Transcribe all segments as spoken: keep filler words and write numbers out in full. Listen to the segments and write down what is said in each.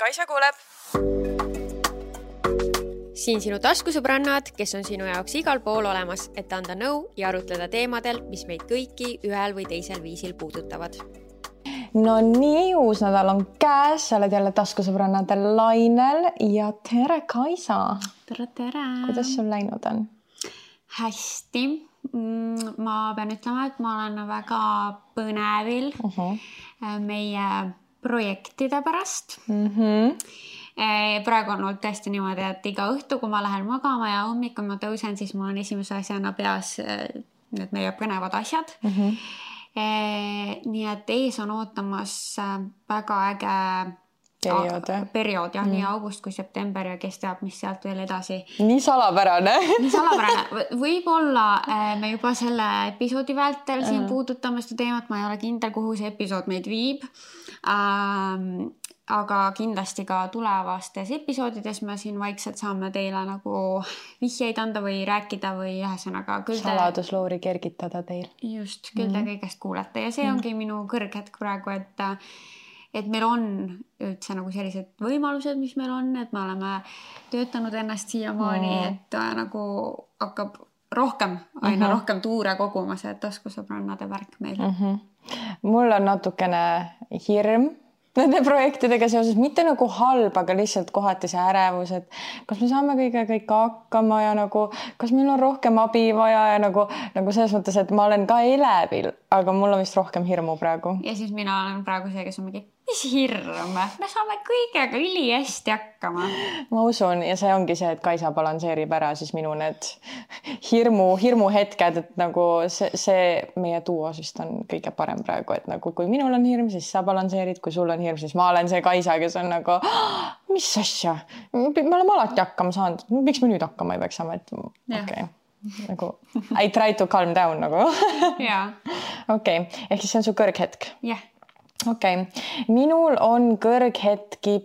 Kaisa kuuleb. Siin sinu taskusõbrannad, kes on sinu jaoks igal pool olemas, et anda nõu ja arutleda teemadel, mis meid kõiki ühel või teisel viisil puudutavad. No nii, uus nädal on käes, sa oled jälle taskusõbrannade lainel ja tere Kaisa. Tere, tere. Kuidas sul läinud on? Hästi. Ma pean ütlema, et ma olen väga põnevil uh-huh. meie projektide pärast. Uh-huh. Praegu on olnud tõesti niimoodi, et iga õhtu, kui ma lähen magama ja hommikul ma tõusen, siis mul on esimese asjana peas need meie põnevad asjad. Uh-huh. Nii et ees on ootamas väga äge periood, a- periood jah, mm. nii august kui september ja kes teab, mis sealt veel edasi. Nii salapärane. nii salapärane. Võib-olla me juba selle episoodi vältel siin uh. puudutame seda teemat, ma ei ole kindel, kuhu see episood meid viib. Ähm, aga kindlasti ka tulevastes episoodides me siin vaikselt saame teile nagu vihjeid anda või rääkida või ühesõnaga küll te... saladusloori kergitada teil. Just, küll te mm. kõigest kuulete ja see ongi mm. minu kõrghetk praegu, et et meil on üldse nagu sellised võimalused, mis meil on, et me oleme töötanud ennast siiamaani, mm. et nagu hakkab rohkem, aina mm-hmm. rohkem tuure koguma see taskusõbrannade värk meil. Mm-hmm. Mul on natukene hirm nende projektidega seoses, mitte nagu halb, aga lihtsalt kohati see ärevus, et kas me saame kõige kõik hakkama ja nagu, kas meil on rohkem abi vaja ja nagu, nagu selles mõttes, et ma olen ka elevil, aga mul on vist rohkem hirmu praegu. Ja siis mina olen praegu see, kes on mingi, mis hirm, me saame kõigega üli hästi hakkama. Ma usun ja see ongi see, et Kaisa balanseerib ära siis minu need hirmu, hirmu hetked, et nagu see, see meie duos vist on kõige parem praegu, et nagu kui minul on hirm, siis sa balanseerid, kui sul on hirm, siis ma olen see Kaisa, kes on nagu, mis asja, me oleme alati hakkama saanud, miks me nüüd hakkama ei peaks saama, et okei. Okay. Nagu, I try to calm down nagu. Jaa. Okei, okay. Ehk siis see on su kõrghetk? Jah. Okei, okay. Minul on kõrghetki,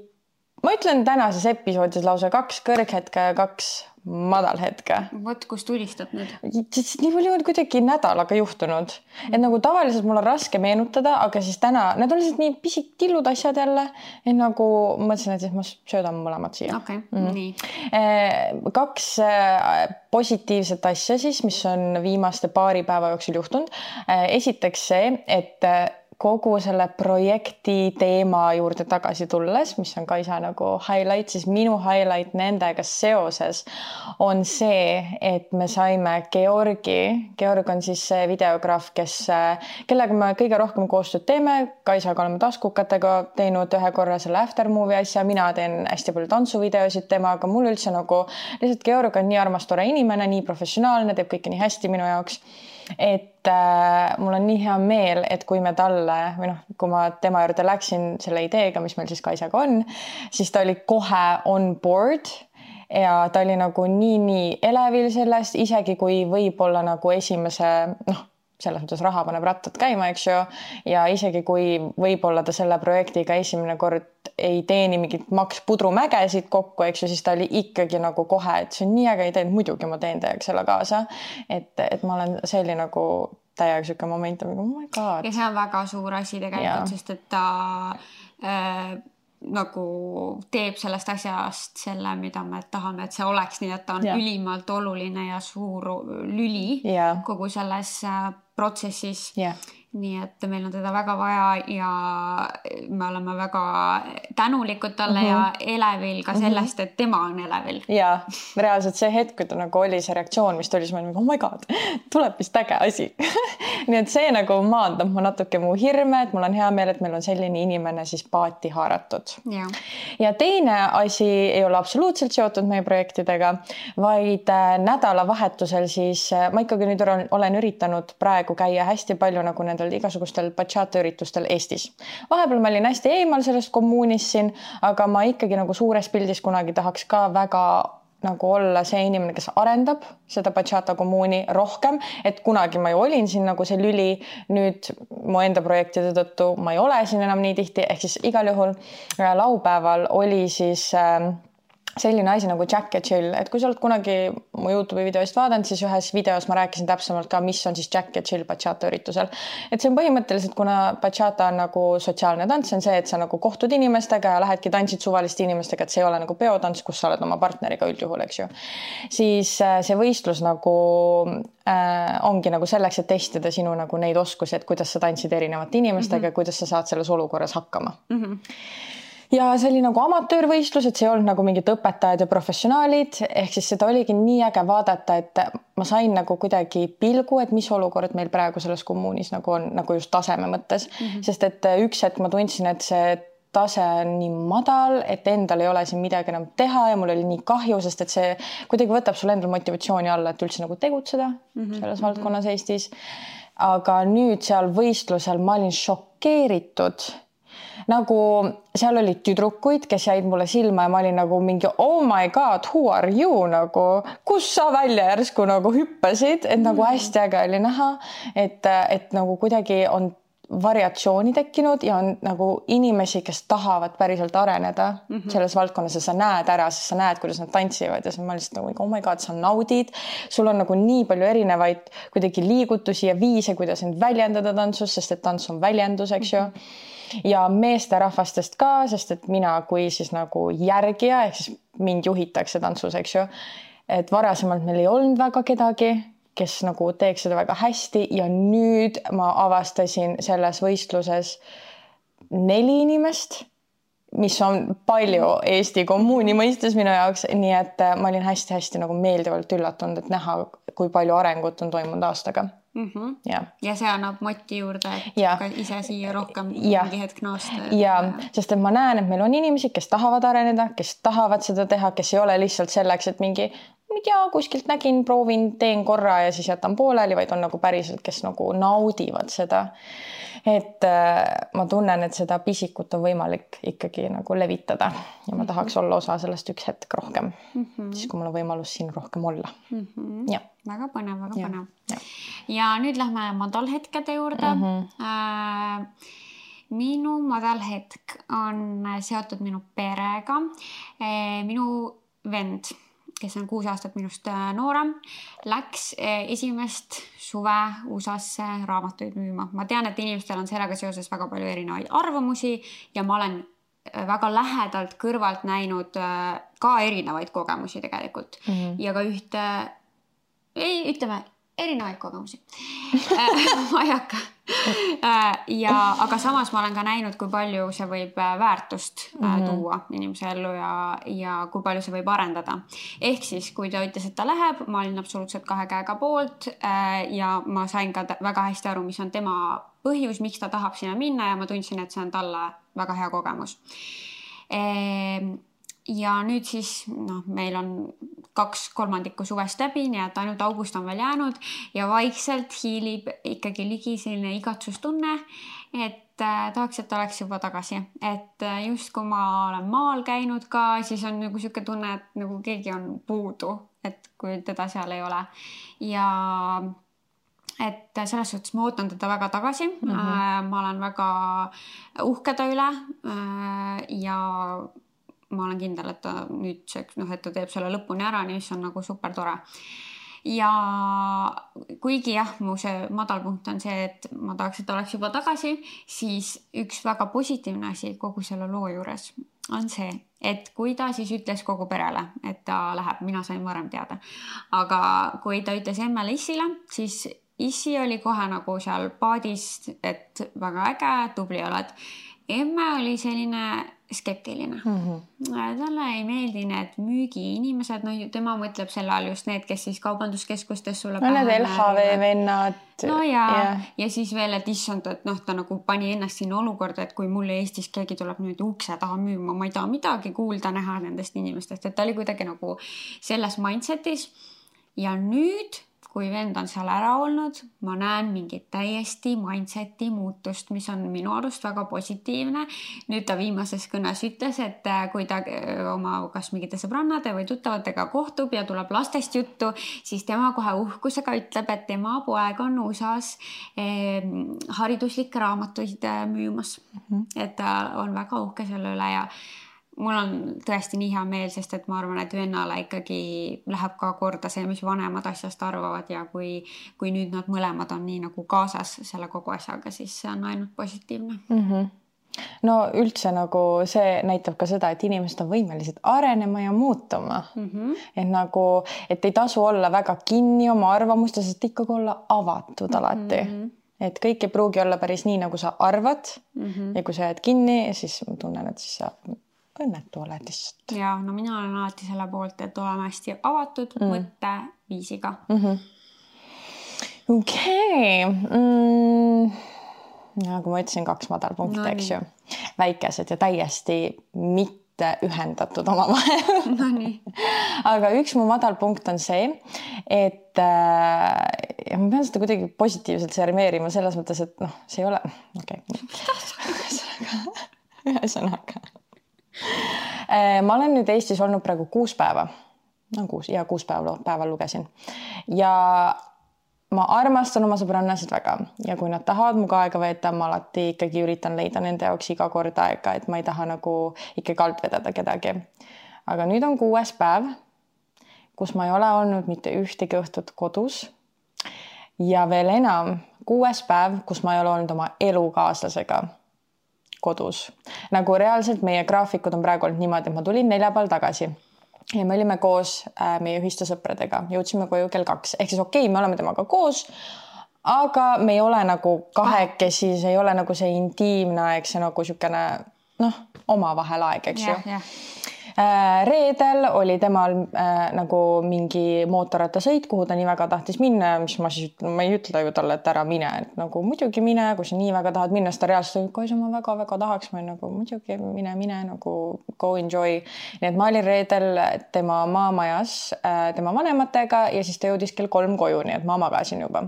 ma ütlen tänases episoodis lausa kaks kõrghetke ja kaks madalhetke. Vot, kus tulistad nüüd? Nii palju on kuidagi nädalaga juhtunud. Et nagu tavaliselt mul on raske meenutada, aga siis täna, need on lihtsalt nii pisik tillud asjad jälle, et nagu mõtlesin, et siis ma söödan mõlemad siia. Okei, okay. mm. nii. Kaks positiivset asja siis, mis on viimaste paari päeva jooksul juhtunud. Esiteks see, et kogu selle projekti teema juurde tagasi tulles, mis on Kaisa nagu highlight, siis minu highlight nendega seoses on see, et me saime Georgi. Georg on siis see videograaf, kes, kellega me kõige rohkem koostööd teeme. Kaisaga oleme taskukatega teinud ühe korra selle aftermovie asja. Mina teen hästi palju tantsuvideosid temaga. Mul üldse nagu, lihtsalt Georg on nii armas tore inimene, nii professionaalne, teeb kõike nii hästi minu jaoks. Et äh, mul on nii hea meel, et kui me talle, või noh, kui ma tema juurde läksin selle ideega, mis meil siis Kaisaga on, siis ta oli kohe on board ja ta oli nagu nii, nii elevil sellest, isegi kui võib-olla nagu esimese, noh, selles mõttes raha paneb rattad käima, eks ju, ja isegi kui võib-olla ta selle projektiga esimene kord ei teeni mingit maks pudrumägesid kokku, eks ju, siis ta oli ikkagi nagu kohe, et see on nii äge idee, et muidugi ma teen teiega selle kaasa, et, et ma olen, see oli nagu täiega siuke moment, oh my god. Ja see on väga suur asi tegelikult, sest et ta äh, nagu teeb sellest asjast selle, mida me tahame, et see oleks nii, et ta on ja. Ülimalt oluline ja suur lüli ja. Kogu selles protsessis. Ja. Nii et meil on teda väga vaja ja me oleme väga tänulikud talle mm-hmm. ja elevil ka sellest, mm-hmm. et tema on elevil. Ja, reaalselt see hetk, kui ta nagu oli see reaktsioon, mis tuli, siis ma olin, oh my god, tuleb vist äge asi. Nii et see nagu maandab mu natuke mu hirme, et mul on hea meel, et meil on selline inimene siis paati haaratud. Ja. Ja teine asi ei ole absoluutselt seotud meie projektidega, vaid nädalavahetusel siis, ma ikkagi nüüd olen üritanud praegu käia hästi palju nagu nendel igasugustel bachata üritustel Eestis. Vahepeal ma olin hästi eemal sellest kommuunist siin, aga ma ikkagi nagu suures pildis kunagi tahaks ka väga nagu olla see inimene, kes arendab seda bachata kommuuni rohkem, et kunagi ma ju olin siin nagu see lüli, nüüd mu enda projektide tõttu ma ei ole siin enam nii tihti, ehk siis igal juhul laupäeval oli siis äh, selline asi nagu Jack ja Jill, et kui sa oled kunagi mu YouTube'i videost vaadanud, siis ühes videos ma rääkisin täpsemalt ka, mis on siis Jack ja Jill bachata üritusel. Et see on põhimõtteliselt, kuna bachata on nagu sotsiaalne tants, on see, et sa nagu kohtud inimestega ja lähedki tantsid suvaliste inimestega, et see ei ole nagu peotants, kus sa oled oma partneriga üldjuhul, eks ju. Siis see võistlus nagu äh, ongi nagu selleks, et testida sinu nagu neid oskusi, et kuidas sa tantsid erinevate inimestega mm-hmm. ja kuidas sa saad selles olukorras hakkama. Mm-hmm. Ja see oli nagu amatöörvõistlus, et see ei olnud nagu mingid õpetajad ja professionaalid, ehk siis seda oligi nii äge vaadata, et ma sain nagu kuidagi pilgu, et mis olukord meil praegu selles kommuunis nagu on nagu just taseme mõttes, mm-hmm. sest et üks hetk ma tundsin, et see tase on nii madal, et endal ei ole siin midagi enam teha ja mul oli nii kahju, sest et see kuidagi võtab sulle endal motivatsiooni alla, et üldse nagu tegutseda mm-hmm. selles valdkonnas Eestis. Aga nüüd seal võistlusel ma olin šokeeritud. Nagu seal olid tüdrukuid, kes jäid mulle silma ja ma olin nagu mingi oh my god, who are you nagu, kus sa välja järsku nagu hüppasid, et nagu hästi äge oli näha, et, et nagu kuidagi on variatsiooni tekkinud ja on nagu inimesi, kes tahavad päriselt areneda mm-hmm. selles valdkonnas ja sa näed ära, sest sa näed, kuidas nad tantsivad ja ma lihtsalt nagu oh my god, sa naudid, sul on nagu nii palju erinevaid kuidagi liigutusi ja viise, kuidas end väljendada tantsus, sest et tants on väljendus, eks ju mm-hmm. ja meesterahvastest ka, sest et mina kui siis nagu järgija, ehk siis mind juhitakse tantsus, eks ju, et varasemalt meil ei olnud väga kedagi, kes nagu teeks seda väga hästi ja nüüd ma avastasin selles võistluses neli inimest, mis on palju Eesti kommuuni mõistes minu jaoks, nii et ma olin hästi-hästi nagu meeldivalt üllatunud, et näha, kui palju arengut on toimunud aastaga. Mm-hmm. Ja. ja see annab moti juurde, et ja. ka ise siia rohkem ja. mingi hetk naasta. Ja, sest et ma näen, et meil on inimesi, kes tahavad areneda, kes tahavad seda teha, kes ei ole lihtsalt selleks, et mingi ma tea, kuskilt nägin, proovin, teen korra ja siis jätan pooleli, vaid on nagu päriselt, kes nagu naudivad seda. Et ma tunnen, et seda pisikut on võimalik ikkagi nagu levitada ja ma tahaks olla osa sellest üks hetk rohkem, mm-hmm. siis kui mul on võimalus siin rohkem olla. Mm-hmm. Ja. Väga põnev, väga ja. põnev. Ja. ja nüüd lähme madalhetkede juurde. Mm-hmm. Äh, minu madalhetk on seotud minu perega. Äh, minu vend, kes on kuus aastat minust noorem, läks esimest suve U S A-sse raamatuid müüma. Ma tean, et inimestel on sellega seoses väga palju erinevaid arvamusi ja ma olen väga lähedalt kõrvalt näinud ka erinevaid kogemusi tegelikult. Mm-hmm. Ja ka ühte, ei, ütleme, erinevaid kogemusi. ma ei hakka. Ja, aga samas ma olen ka näinud, kui palju see võib väärtust mm-hmm. tuua inimese ellu ja, ja kui palju see võib arendada. Ehk siis, kui ta ütles, et ta läheb, ma olin absoluutselt kahe käega poolt ja ma sain ka väga hästi aru, mis on tema põhjus, miks ta tahab sinna minna ja ma tundsin, et see on talle väga hea kogemus. Ja nüüd siis no, meil on kaks kolmandikku suvest läbi, nii et ainult august on veel jäänud ja vaikselt hiilib ikkagi ligi selline igatsustunne, et äh, tahaks, et oleks juba tagasi. Et äh, just kui ma olen maal käinud ka, siis on nagu siuke tunne, et nagu keegi on puudu, et kui teda seal ei ole. Ja et selles suhtes ma ootan teda väga tagasi. Mm-hmm. äh, ma olen väga uhke ta üle äh, ja ma olen kindel, et ta nüüd noh, et ta teeb selle lõpuni ära, nii see on nagu super tore. Ja kuigi jah, mu see madalpunkt on see, et ma tahaks, et ta oleks juba tagasi, siis üks väga positiivne asi kogu selle loo juures on see, et kui ta siis ütles kogu perele, et ta läheb, mina sain varem teada. Aga kui ta ütles emmele Issile, siis Issi oli kohe nagu seal paadist, et väga äge, tubli oled. Emme oli selline skeptiline. Mm-hmm. Talle ei meeldi need müügiinimesed, no tema mõtleb selle all just need, kes siis kaubanduskeskustes sulle no need L H V vennad. No ja, yeah. ja siis veel, et issand, et noh, ta nagu pani ennast sinna olukorda, et kui mulle Eestis keegi tuleb nüüd ukse taha müüma, ma ei taha midagi kuulda näha nendest inimestest, et ta oli kuidagi nagu selles mindsetis ja nüüd kui vend on seal ära olnud, ma näen mingit täiesti mindseti muutust, mis on minu arust väga positiivne. Nüüd ta viimases kõnes ütles, et kui ta oma kas mingite sõbrannade või tuttavatega kohtub ja tuleb lastest juttu, siis tema kohe uhkusega ütleb, et tema poeg on U S A-s eh, hariduslikke raamatuid müümas. Mm-hmm. Et ta on väga uhke selle üle ja mul on tõesti nii hea meel, sest et ma arvan, et vennale ikkagi läheb ka korda see, mis vanemad asjast arvavad ja kui, kui nüüd nad mõlemad on nii nagu kaasas selle kogu asjaga, siis see on ainult positiivne. Mm-hmm. No üldse nagu see näitab ka seda, et inimesed on võimelised arenema ja muutuma. Mm-hmm. Et nagu, et ei tasu olla väga kinni oma arvamuste, sest ikkagi olla avatud alati. Mm-hmm. Et kõik ei pruugi olla päris nii, nagu sa arvad mm-hmm. ja kui sa jääd kinni, siis ma tunnen, et siis sa õnnetu oled lihtsalt. Ja, no mina olen alati selle poolt, et oleme hästi avatud mm. mõtteviisiga. Mm-hmm. Okei. Okay. Mm, nagu ma ütlesin, kaks madalpunkti, no, eks ju. Väikesed ja täiesti mitte ühendatud oma vahel. No nii. Aga üks mu madalpunkt on see, et äh, ja ma pean seda kuidagi positiivselt sermeerima selles mõttes, et noh, see ei ole... Okei. Okay. Ühesõnaga. Ma olen nüüd Eestis olnud praegu kuus päeva. No kuus, ja kuus päeva, päeval lugesin. Ja ma armastan oma sõbrannasid väga. Ja kui nad tahavad muga aega veeta, ma alati ikkagi üritan leida nende jaoks iga kord aega, et ma ei taha nagu ikkagi alt vedada kedagi. Aga nüüd on kuues päev, kus ma ei ole olnud mitte ühtegi õhtut kodus. Ja veel enam, kuues päev, kus ma ei ole olnud oma elukaaslasega kodus. Nagu reaalselt meie graafikud on praegu olnud niimoodi, et ma tulin neljapäeval tagasi. Ja me olime koos äh, meie ühiste sõpradega. Jõudsime koju kell kaks. Ehk siis okei, okay, me oleme temaga koos, aga me ei ole nagu kahekesi, see ei ole nagu see intiimne aeg, see nagu siukene, noh, oma vahel aeg, eks ju. Yeah, yeah. Reedel oli temal äh, nagu mingi mootorrattasõit, kuhu ta nii väga tahtis minna, mis ma siis ütlen, ma ei ütle ju talle, et ära mine, et nagu muidugi mine, kui sa nii väga tahad minna, siis ta reaalselt, kui sa ma väga-väga tahaks, ma nagu muidugi mine, mine, nagu go enjoy. Nii et ma olin reedel tema maamajas äh, tema vanematega ja siis ta jõudis kell kolm koju, nii et ma magasin juba.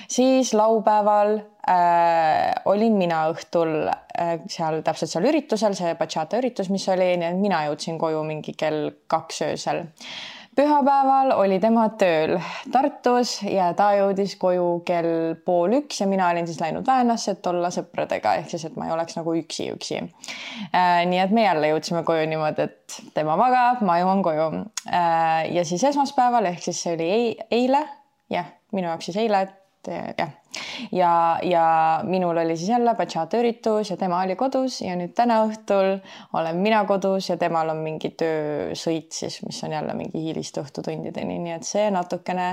Siis laupäeval Äh, olin mina õhtul äh, seal täpselt seal üritusel, see bachata üritus, mis oli, nii et mina jõudsin koju mingi kell kaks öösel. Pühapäeval oli tema tööl Tartus ja ta jõudis koju kell pool üks ja mina olin siis läinud Väänasse, et olla sõpradega, ehk siis, et ma ei oleks nagu üksi üksi. Äh, nii et me jälle jõudsime koju niimoodi, et tema magab, ma jõuan koju. Äh, ja siis esmaspäeval, ehk siis see oli eile, jah, minu jaoks siis eile, et jah. Ja, ja minul oli siis jälle bachata üritus ja tema oli kodus ja nüüd täna õhtul olen mina kodus ja temal on mingi töösõit siis, mis on jälle mingi hiilist õhtutundideni, nii et see natukene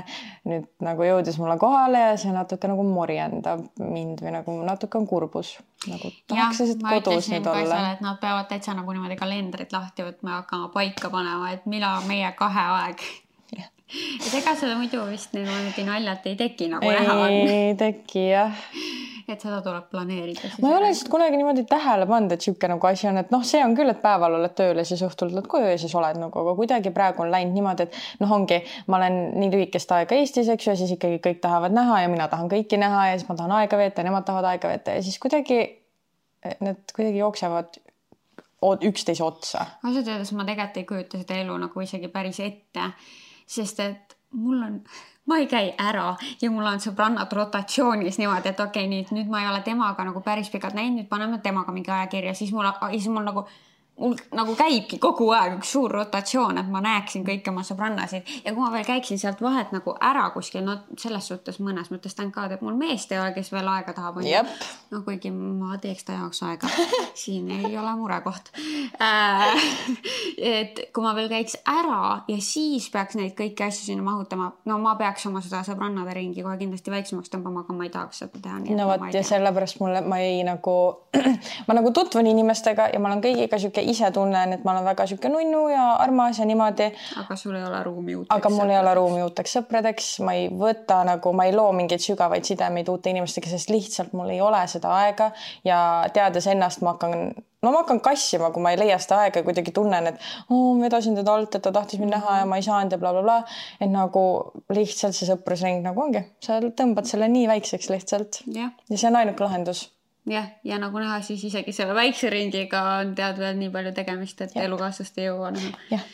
nüüd nagu jõudis mulle kohale ja see natuke nagu morjendab mind või nagu natuke on kurbus. Nagu tahaks siis, et kodus nüüd olla. Seal, et nad peavad täitsa nagu niimoodi kalendrit lahti võtma ja hakkama paika panema, et milla meie kahe aeg. Et ega seda muidu vist niimoodi naljalt ei teki nagu ei näha on. Ei teki, jah. Et seda tuleb planeerida. Ma ei ole lihtsalt kunagi niimoodi tähele pannud, et siuke nagu asi on, et noh, see on küll, et päeval oled tööl ja siis õhtul tuled koju ja siis oled nagu, aga kuidagi praegu on läinud niimoodi, et noh, ongi, ma olen nii lühikest aega Eestis, eks ju, ja siis ikkagi kõik tahavad näha ja mina tahan kõiki näha ja siis ma tahan aega veeta ja nemad tahavad aega veeta ja siis kuidagi need kuidagi jooksevad üksteise otsa. Asjad öeldes ma tegelikult ei kujuta seda elu nagu isegi päris ette. Sest et mul on, ma ei käi ära ja mul on sõbrannad rotatsioonis niimoodi, et okei, okay, nüüd, nüüd ma ei ole temaga nagu päris pikalt näinud, nüüd paneme temaga mingi ajakirja, siis mul, siis mul nagu, mul nagu käibki kogu aeg üks suur rotatsioon, et ma näeksin kõik oma sõbrannasid ja kui ma veel käiksin sealt vahet nagu ära kuskil, no selles suhtes mõnes mõttes tänkaad, et mul meest ei ole, kes veel aega tahab. Jep. No kuigi ma teeks ta jaoks aega, siin ei ole murekoht. Äh, et kui ma veel käiks ära ja siis peaks neid kõiki asju sinna mahutama, no ma peaks oma seda sõbrannade ringi kohe kindlasti väiksemaks tõmbama, aga ma ei tahaks seda teha. No võt, ja sellepärast mulle, ma ei nagu, ma nagu tutvun inimestega ja ma olen kõigiga siuke ise tunnen, et ma olen väga siuke nunnu ja armas ja niimoodi. Aga sul ei ole ruumi uuteks. Aga mul ei ole ruumi uuteks sõpradeks. Ma ei võta nagu, ma ei loo mingeid sügavaid sidemeid uute inimestega, sest lihtsalt mul ei ole seda aega ja teades ennast ma hakkan, no ma hakkan kassima, kui ma ei leia seda aega ja kuidagi tunnen, et oh, ma vedasin teda alt, et ta tahtis mind näha ja ma ei saanud ja bla, bla, bla. Et nagu lihtsalt see sõprusring nagu ongi. Sa tõmbad selle nii väikseks lihtsalt. Ja, ja see on ainuke lahendus. Jah, ja nagu näha, siis isegi selle väikse ringiga on tead veel nii palju tegemist, et Jep. elukaaslast ei jõua näha. Jah.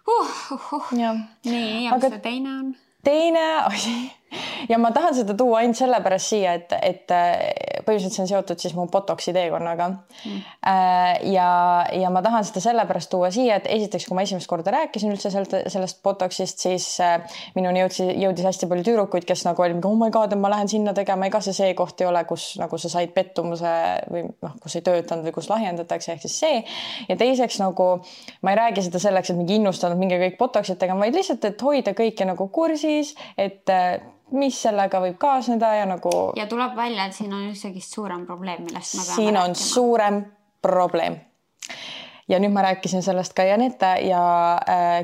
Uh, uh, uh. Ja. Nii, ja mis see teine on? Teine asi. Ja ma tahan seda tuua ainult sellepärast siia, et, et põhiliselt see on seotud siis mu botoksi teekonnaga mm. ja, ja ma tahan seda sellepärast tuua siia, et esiteks, kui ma esimest korda rääkisin üldse sellest, sellest botoksist, siis minuni jõudis, jõudis hästi palju tüürukuid, kes nagu oli, oh my god, ma lähen sinna tegema, ega see see koht ei ole, kus nagu sa said pettumuse või noh, kus ei töötanud või kus lahjendatakse, ehk siis see. Ja teiseks nagu ma ei räägi seda selleks, et mingi innustanud mingi kõik botoksid tegema, vaid lihtsalt, et hoida kõike nagu kursis, et mis sellega võib kaasneda ja nagu... Ja tuleb välja, et siin on üldsegist suurem probleem, millest ma peame siin on rääkima. Suurem probleem. Ja nüüd ma rääkisin sellest ka Janette ja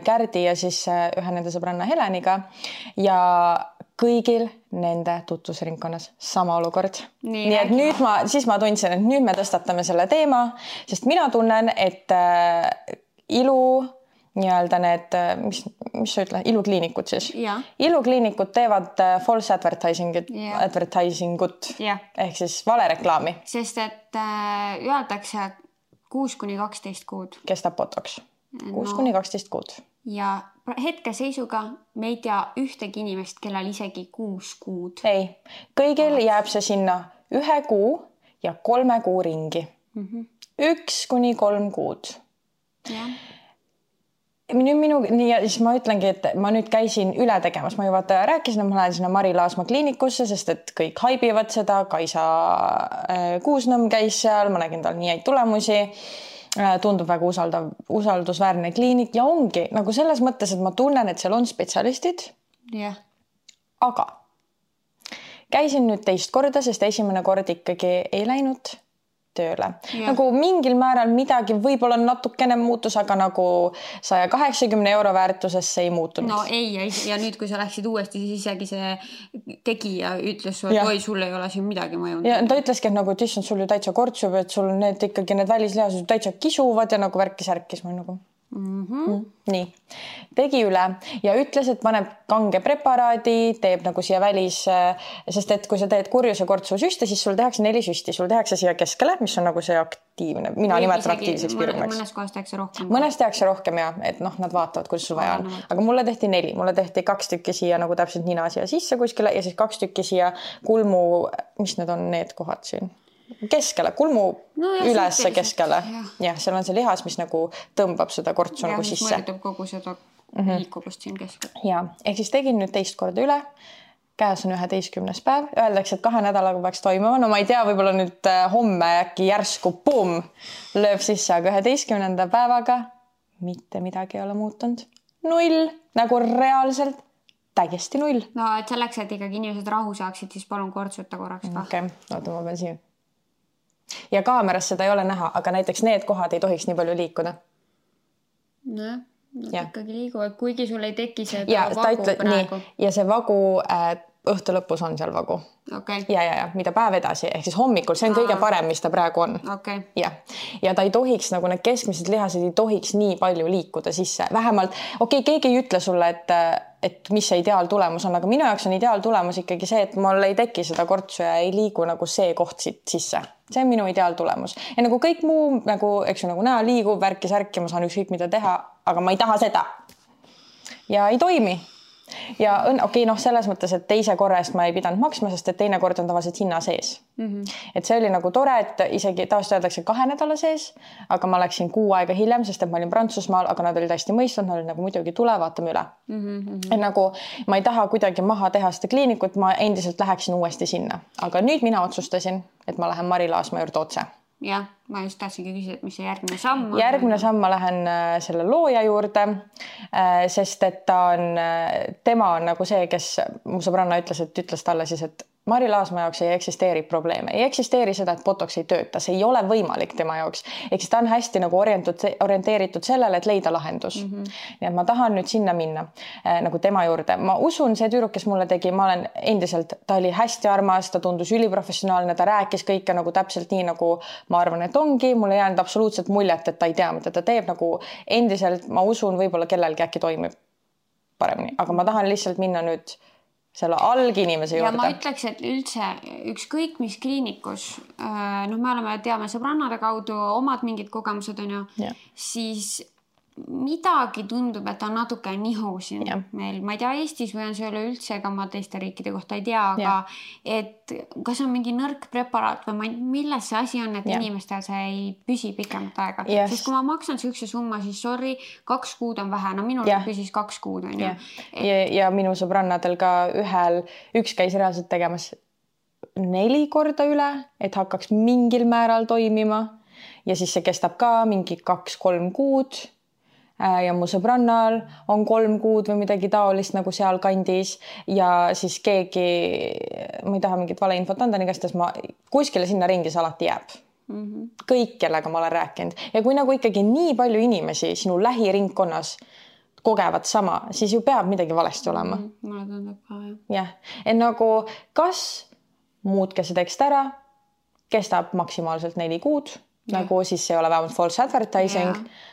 Kärdi ja siis ühe nende sõbranna Heleniga ja kõigil nende tutvusringkonnas sama olukord. Nii, Nii et nüüd ma, siis ma tundsin, et nüüd me tõstatame selle teema, sest mina tunnen, et ilu... nii-öelda need, mis, mis sa ütle, ilukliinikud siis. Ja. Ilukliinikud teevad false advertising'ut, ja. advertising'ut ja. Ehk siis valereklaami. Sest et äh, öeldakse kuus kuni kaksteist kuud. Kestab botoks. kuus kuni kaksteist kuud. Ja hetke seisuga me ei tea ühtegi inimest, kellel isegi kuus kuud. Ei, kõigil Vaat. Jääb see sinna ühe kuu ja kolme kuu ringi. Mm-hmm. Üks kuni kolm kuud. Ja. Nüüd minu, nii, ja siis ma ütlengi, et ma nüüd käisin üle tegemas, ma juba rääkisin, et ma lähen sinna Mari Laasma kliinikusse, sest et kõik haibivad seda, Kaisa Kuusnõmm käis seal, ma nägin tal nii häid tulemusi, tundub väga usaldav, usaldusväärne kliinik ja ongi nagu selles mõttes, et ma tunnen, et seal on spetsialistid, yeah. Aga käisin nüüd teist korda, sest esimene kord ikkagi ei läinud tööle. Ja. Nagu mingil määral midagi võib-olla natukene muutus, aga nagu saja kaheksakümne euro väärtuses see ei muutunud. No ei, ja, ja nüüd, kui sa läksid uuesti, siis isegi see tegija ütles, et oi, sul ei ole siin midagi mõjunud. Ja ta ütleski, et nagu, et issand, sul ju täitsa kortsub, et sul need ikkagi need välislihased täitsa kisuvad ja nagu värkis-ärkis ma nagu... Mm-hmm. Mm, nii, tegi üle ja ütles, et paneb kange preparaadi, teeb nagu siia välis, sest et kui sa teed kurjuse kortsu süste, siis sul tehakse neli süsti, sul tehakse siia keskele, mis on nagu see aktiivne, mina nimetan aktiivseks kirurgiks. Mõnes kohas tehakse rohkem. Mõnes tehakse rohkem ja, et noh, nad vaatavad, kuidas sul vaja on. Aga mulle tehti neli, mulle tehti kaks tükki siia nagu täpselt nina siia sisse kuskile ja siis kaks tükki siia kulmu, mis need on need kohad siin? Keskele, kulmu no, ja, ülesse keskele. Ja. ja, seal on see lihas, mis nagu tõmbab seda kortsu ja, nagu sisse. Ja, mõjutab kogu seda mm-hmm. liikuvust siin keskel. Ja, ehk siis tegin nüüd teist korda üle. Käes on üheteistkümnes päev. Öeldakse, et kahe nädalaga peaks toimuma. No ma ei tea, võib-olla nüüd homme äkki järsku pum, lööb sisse, aga üheteistkümnenda päevaga mitte midagi ei ole muutunud. Null, nagu reaalselt täiesti null. No, et selleks, et ikkagi inimesed rahu saaksid, siis palun kortsuta korraks ka. Okei, okay. Oota, ma pean siin. Ja kaameras seda ei ole näha, aga näiteks need kohad ei tohiks nii palju liikuda. No, nad ja. Ikkagi liiguvad, kuigi sul ei teki seda ja, vagu ütle, praegu. Nii, ja see vagu äh, õhtu lõpus on seal vagu. Okay. Ja, ja, ja, mida päev edasi, ehk siis hommikul, see on Aa. kõige parem, mis ta praegu on. Okay. Ja. ja ta ei tohiks, nagu need keskmised lihased ei tohiks nii palju liikuda sisse. Vähemalt, okei, okay, keegi ei ütle sulle, et, et mis see ideaaltulemus on, aga minu jaoks on ideaaltulemus ikkagi see, et mul ei teki seda kortsu ja ei liigu nagu see koht siit sisse. See on minu ideaaltulemus. Ja nagu kõik muu, nagu, eks ju, nagu näha liigub, värki särki, ma saan ükskõik mida teha, aga ma ei taha seda. Ja ei toimi. Ja okei, okay, noh, selles mõttes, et teise korra eest ma ei pidanud maksma, sest et teine kord on tavaliselt hinna sees. Mm-hmm. Et see oli nagu tore, et isegi taas öeldakse kahe nädala sees, aga ma läksin kuu aega hiljem, sest et ma olin Prantsusmaal, aga nad olid hästi mõistnud, nad olid nagu muidugi tule, vaatame üle. Mm-hmm. Et nagu ma ei taha kuidagi maha teha seda kliinikut, ma endiselt läheksin uuesti sinna. Aga nüüd mina otsustasin, et ma lähen Mari Laasma juurde otse. Ja, ma just tahtsingi küsida, et mis see järgmine samm on. Järgmine samm ma lähen selle looja juurde, sest et ta on, tema on nagu see, kes mu sõbranna ütles, et ütles talle siis, et Mari Laasma jaoks ei eksisteeri probleeme. Ei eksisteeri seda, et botoks ei tööta. See ei ole võimalik tema jaoks. Ehk siis ta on hästi nagu orienteeritud sellele, et leida lahendus. Mm-hmm. Nii et ma tahan nüüd sinna minna äh, nagu tema juurde. Ma usun, see tüüruk, kes mulle tegi, ma olen endiselt, ta oli hästi armas, ta tundus üliprofessionaalne, ta rääkis kõike nagu täpselt nii, nagu ma arvan, et ongi. Mulle ei jäänud absoluutselt muljet, et ta ei tea, mida ta teeb. Nagu endiselt, ma usun, võib-olla kellelgi äkki toimib paremini. Aga ma tahan lihtsalt minna nüüd selle alginimese juurde. Ja ma ütleks, et üldse ükskõik mis kliinikus, noh, me oleme, teame sõbrannade kaudu omad mingid kogemused on ju, yeah. Siis midagi tundub, et on natuke nihu siin ja. meil, ma ei tea Eestis või on see üle üldse, ega ma teiste riikide kohta ei tea, aga ja. Et kas on mingi nõrk preparaat või ma, milles see asi on, et ja. Inimestel see ei püsi pikemat aega. Yes. Sest kui ma maksan sihukese summa, siis sorry, kaks kuud on vähe, no minul ja. Püsis kaks kuud on ju. Et... Ja, ja minu sõbrannadel ka ühel, üks käis reaalselt tegemas neli korda üle, et hakkaks mingil määral toimima ja siis see kestab ka mingi kaks-kolm kuud. Ja mu sõbrannal on kolm kuud või midagi taolist nagu seal kandis ja siis keegi, ma ei taha mingit valeinfot anda, nii kastas ma kuskile sinna ringis alati jääb. Mm-hmm. Kõik, kellega ma olen rääkinud. Ja kui nagu ikkagi nii palju inimesi sinu lähiringkonnas kogevad sama, siis ju peab midagi valesti olema. Mm-hmm. Mulle tundub ka, jah. Jah, et nagu kas muutke see tekst ära, kestab maksimaalselt neli kuud, ja. Nagu siis ei ole vähemalt false advertising, ja.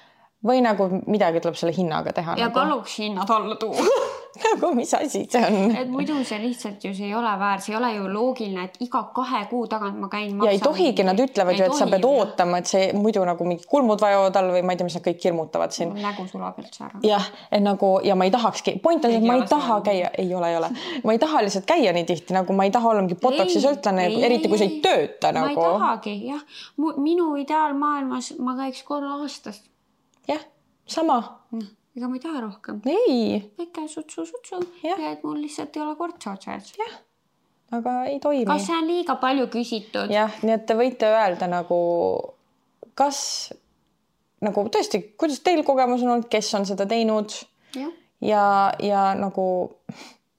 Või nagu midagi tuleb selle hinnaga teha. Ja nagu. Paluks hinnad alla tuua. Nagu mis asi see on? Et muidu see lihtsalt ju see ei ole väär, see ei ole ju loogiline, et iga kahe kuu tagant ma käin maksan. Ja ei tohigi, nad ütlevad ju, et sa pead ootama, et see muidu nagu mingi kulmud vajavad all või ma ei tea, mis nad kõik hirmutavad siin. Nägu sulab üldse ära. Jah, et nagu, ja ma ei tahakski, point on, et ma ei taha käia, ei ole, ei ole. Ma ei taha lihtsalt käia nii tihti, nagu ma ei taha olla mingi botoksi sõltlane, eriti kui see ei tööta. Ma nagu. ei tahagi, jah. Minu ideaalmaailmas ma käiks korra aastas. Jah. Sama. No, ega ma ei taha rohkem. Ei. Väike sutsu, sutsu. Ja, et mul lihtsalt ei ole kortsa otsas. Jah, aga ei toimi. Kas see on liiga palju küsitud? Jah, nii et te võite öelda nagu, kas, nagu tõesti, kuidas teil kogemus on olnud, kes on seda teinud? Ja, ja, ja nagu,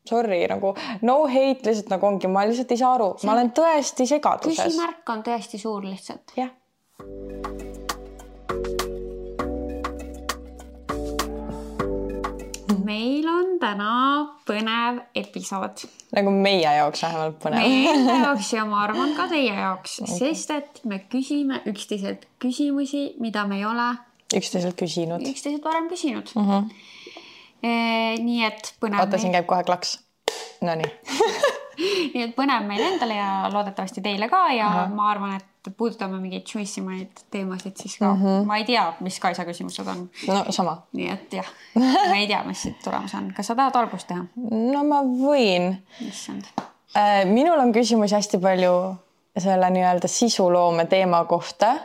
sorry, nagu no hate lihtsalt nagu ongi, ma lihtsalt ei saa aru. See... Ma olen tõesti segaduses. Küsimärk on tõesti suur lihtsalt. Jah. Meil on täna põnev episood. Nagu meie jaoks vähemalt põnev. Meie jaoks ja ma arvan ka teie jaoks, sest et me küsime üksteiselt küsimusi, mida me ei ole üksteiselt küsinud. Üksteiselt varem küsinud. Mm-hmm. E, nii et põnev. Oota, siin käib kohe klaks. No nii. Nii et põnev meil endale ja loodetavasti teile ka ja Aha. ma arvan, et puudutame mingeid tšuissimaid teemasid siis ka. Mm-hmm. Ma ei tea, mis Kaisa küsimused on. No sama. Nii et jah, ma ei tea, mis siit tulemus on. Kas sa tahad algust teha? No ma võin. Issand. Minul on küsimusi hästi palju selle nii-öelda sisuloome teema kohta.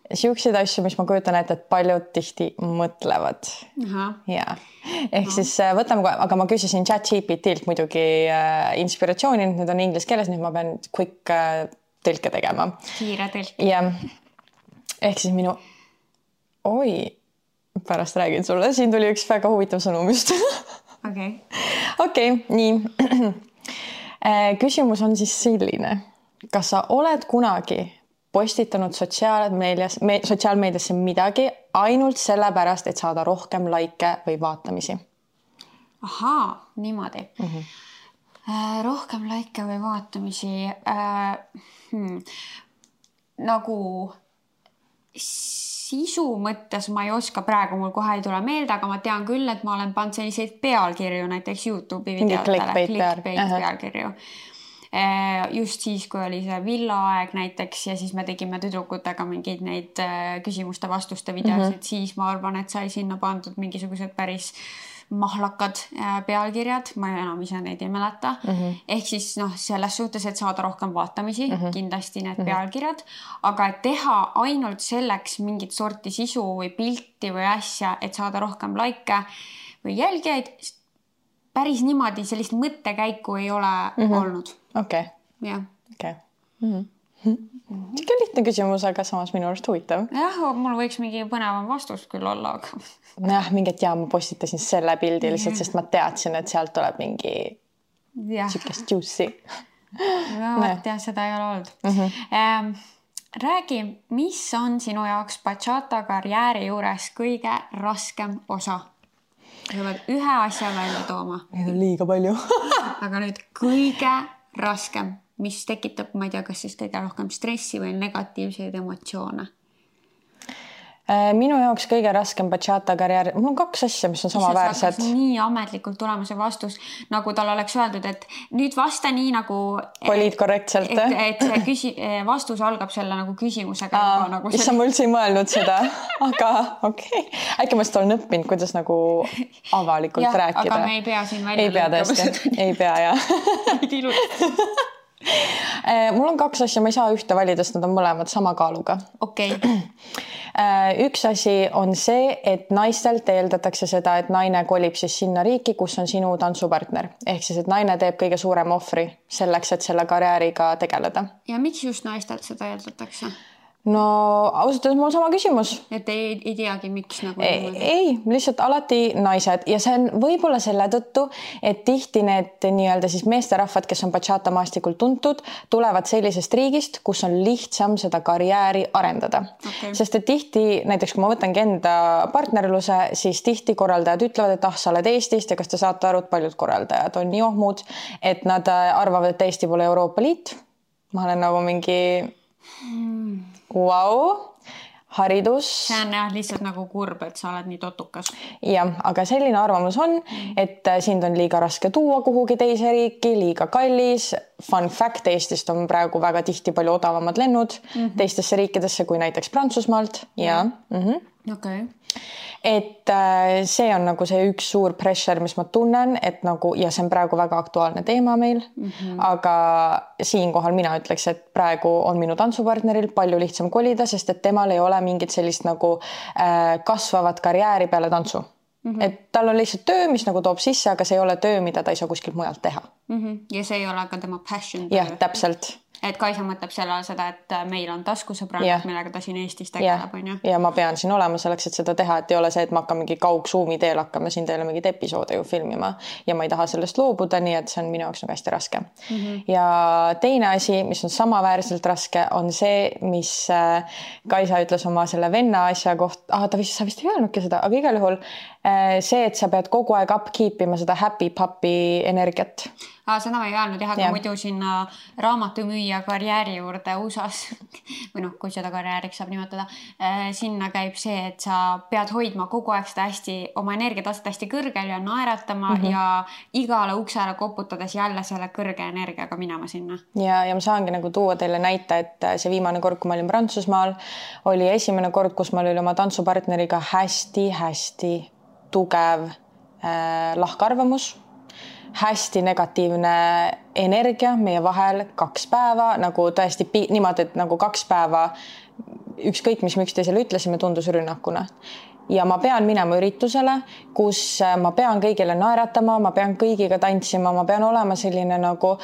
Siukseid asju, mis ma kujutan ette, et paljud tihti mõtlevad. Aha. Ja. Ehk no. Siis võtame kohe, aga ma küsisin ChatGPT-lt muidugi inspiratsiooni, nüüd on inglis keeles, nüüd ma pean quick tõlke tegema. Kiire tõlk. Ja. Ehk siis minu, oi, pärast räägin sulle, siin tuli üks väga huvitav sõnum just. Okei. Okei, nii. Küsimus on siis selline. Kas sa oled kunagi postitanud sotsiaalmeedias, me, sotsiaalmeediasse midagi ainult sellepärast, et saada rohkem laike või vaatamisi? Ahaa, niimoodi. Mm-hmm. Äh, rohkem laike või vaatamisi. Äh, hmm. Nagu sisu mõttes ma ei oska praegu, mul kohe ei tule meelde, aga ma tean küll, et ma olen pannud selliseid pealkirju näiteks YouTube'i videotele. Clickbait, clickbait pealkirju. Just siis, kui oli see villaaeg näiteks ja siis me tegime tüdrukutega mingeid neid küsimuste vastuste videosid, mm-hmm. siis ma arvan, et sai sinna pandud mingisugused päris mahlakad pealkirjad, ma enam ise neid ei mäleta. Mm-hmm. Ehk siis noh, selles suhtes, et saada rohkem vaatamisi, mm-hmm. kindlasti need mm-hmm. pealkirjad, aga et teha ainult selleks mingit sorti sisu või pilti või asja, et saada rohkem laike või jälgijaid, päris niimoodi sellist mõttekäiku ei ole mm-hmm. olnud. Okei. Okay. Jah. Okay. Mm-hmm. Mm-hmm. Siuke lihtne küsimus, aga samas minu arust huvitav. Jah, mul võiks mingi põnevam vastus küll olla, aga... Jah, mingit jaa, ma postitasin selle pildi lihtsalt, sest ma teadsin, et sealt tuleb mingi siukest juicy. No, et jah, seda ei ole olnud. Mm-hmm. Ähm, räägi, mis on sinu jaoks bachata karjääri juures kõige raskem osa? Sa pead ühe asja välja tooma. Neid on liiga palju. Aga nüüd kõige raskem, mis tekitab, ma ei tea, kas siis kõige rohkem stressi või negatiivseid emotsioone? Minu jaoks kõige raskem bachata karjäär, mul on kaks asja, mis on samaväärsed. Nii ametlikult tulema see vastus, nagu tal oleks öeldud, et nüüd vasta nii nagu... Poliid korrektselt. Et, et see küsi, vastus algab selle nagu küsimusega. Aa, nagu issa mul üldse ei mõelnud seda, aga okei. Okay. Äkki ma seda olen õppinud, kuidas nagu avalikult ja, rääkida. Aga me ei pea siin välja ei pea tõesti, ei pea, jah. Mul on kaks asja, ma ei saa ühte valida, sest nad on mõlemad sama kaaluga. Okei. Okay. Üks asi on see, et naistelt eeldatakse seda, et naine kolib siis sinna riiki, kus on sinu tantsupartner. Ehk siis, et naine teeb kõige suurem ohvri selleks, et selle karjääriga tegeleda. Ja miks just naistelt seda eeldatakse? No ausalt, mul sama küsimus. Et ei, ei teagi, miks nagu... Ei, ei, lihtsalt alati naised ja see on võib-olla selle tõttu, et tihti need nii-öelda siis meesterahvad, kes on bachata maastikul tuntud, tulevad sellisest riigist, kus on lihtsam seda karjääri arendada. Okay. Sest et tihti, näiteks kui ma võtangi enda partnerluse, siis tihti korraldajad ütlevad, et ah, sa oled Eestist ja kas te saate aru, et paljud korraldajad on nii ohmud, et nad arvavad, et Eesti pole Euroopa Liit. Ma olen nagu mingi... Hmm. Wow, haridus. See on jah, lihtsalt nagu kurb, et sa oled nii totukas. Jah, aga selline arvamus on, et sind on liiga raske tuua kuhugi teise riiki, liiga kallis. Fun fact, Eestist on praegu väga tihti palju odavamad lennud mm-hmm. teistesse riikidesse kui näiteks Prantsusmaalt. Ja. Mm-hmm. Okay. Et see on nagu see üks suur pressure, mis ma tunnen, et nagu, ja see on praegu väga aktuaalne teema meil, mm-hmm. aga siinkohal mina ütleks, et praegu on minu tantsupartneril palju lihtsam kolida, sest et temal ei ole mingit sellist nagu äh, kasvavat karjääri peale tantsu. Mm-hmm. Et tal on lihtsalt töö, mis nagu toob sisse, aga see ei ole töö, mida ta ei saa kuskilt mujalt teha. Mm-hmm. Ja see ei ole ka tema passion. Jah, täpselt. Et Kaisa mõtleb selle seda, et meil on taskusõbrannad, yeah. millega ta siin Eestis tegeleb. Yeah. Ja ma pean siin olema selleks, et seda teha, et ei ole see, et ma hakkan mingi kaugsuumi teel hakkama siin teile mingit episoode ju filmima ja ma ei taha sellest loobuda, nii et see on minu jaoks nagu hästi raske. Mm-hmm. Ja teine asi, mis on samaväärselt raske, on see, mis Kaisa ütles oma selle venna asja koht, ah, ta vist, sa vist ei öelnudki seda, aga igal juhul see, et sa pead kogu aeg upkeep ima seda happy puppy energiat. Ah, seda ma ei öelnud jah, aga ja. Muidu sinna raamatumüüja karjääri juurde U S A-s või noh, kui seda karjääriks saab nimetada, sinna käib see, et sa pead hoidma kogu aeg seda hästi, oma energiataset hästi kõrgel ja naeratama mm-hmm. ja igale uksele koputades jälle selle kõrge energiaga minema sinna. Ja, ja ma saangi nagu tuua teile näite, et see viimane kord, kui ma olin Prantsusmaal, oli esimene kord, kus ma olin oma tantsupartneriga hästi-hästi tugev äh, lahkarvamus. Hästi negatiivne energia meie vahel kaks päeva, nagu tõesti pi- niimoodi, et nagu kaks päeva ükskõik, mis me üksteisele ütlesime, tundus rünnakuna. Ja ma pean minema üritusele, kus ma pean kõigile naeratama, ma pean kõigiga tantsima, ma pean olema selline nagu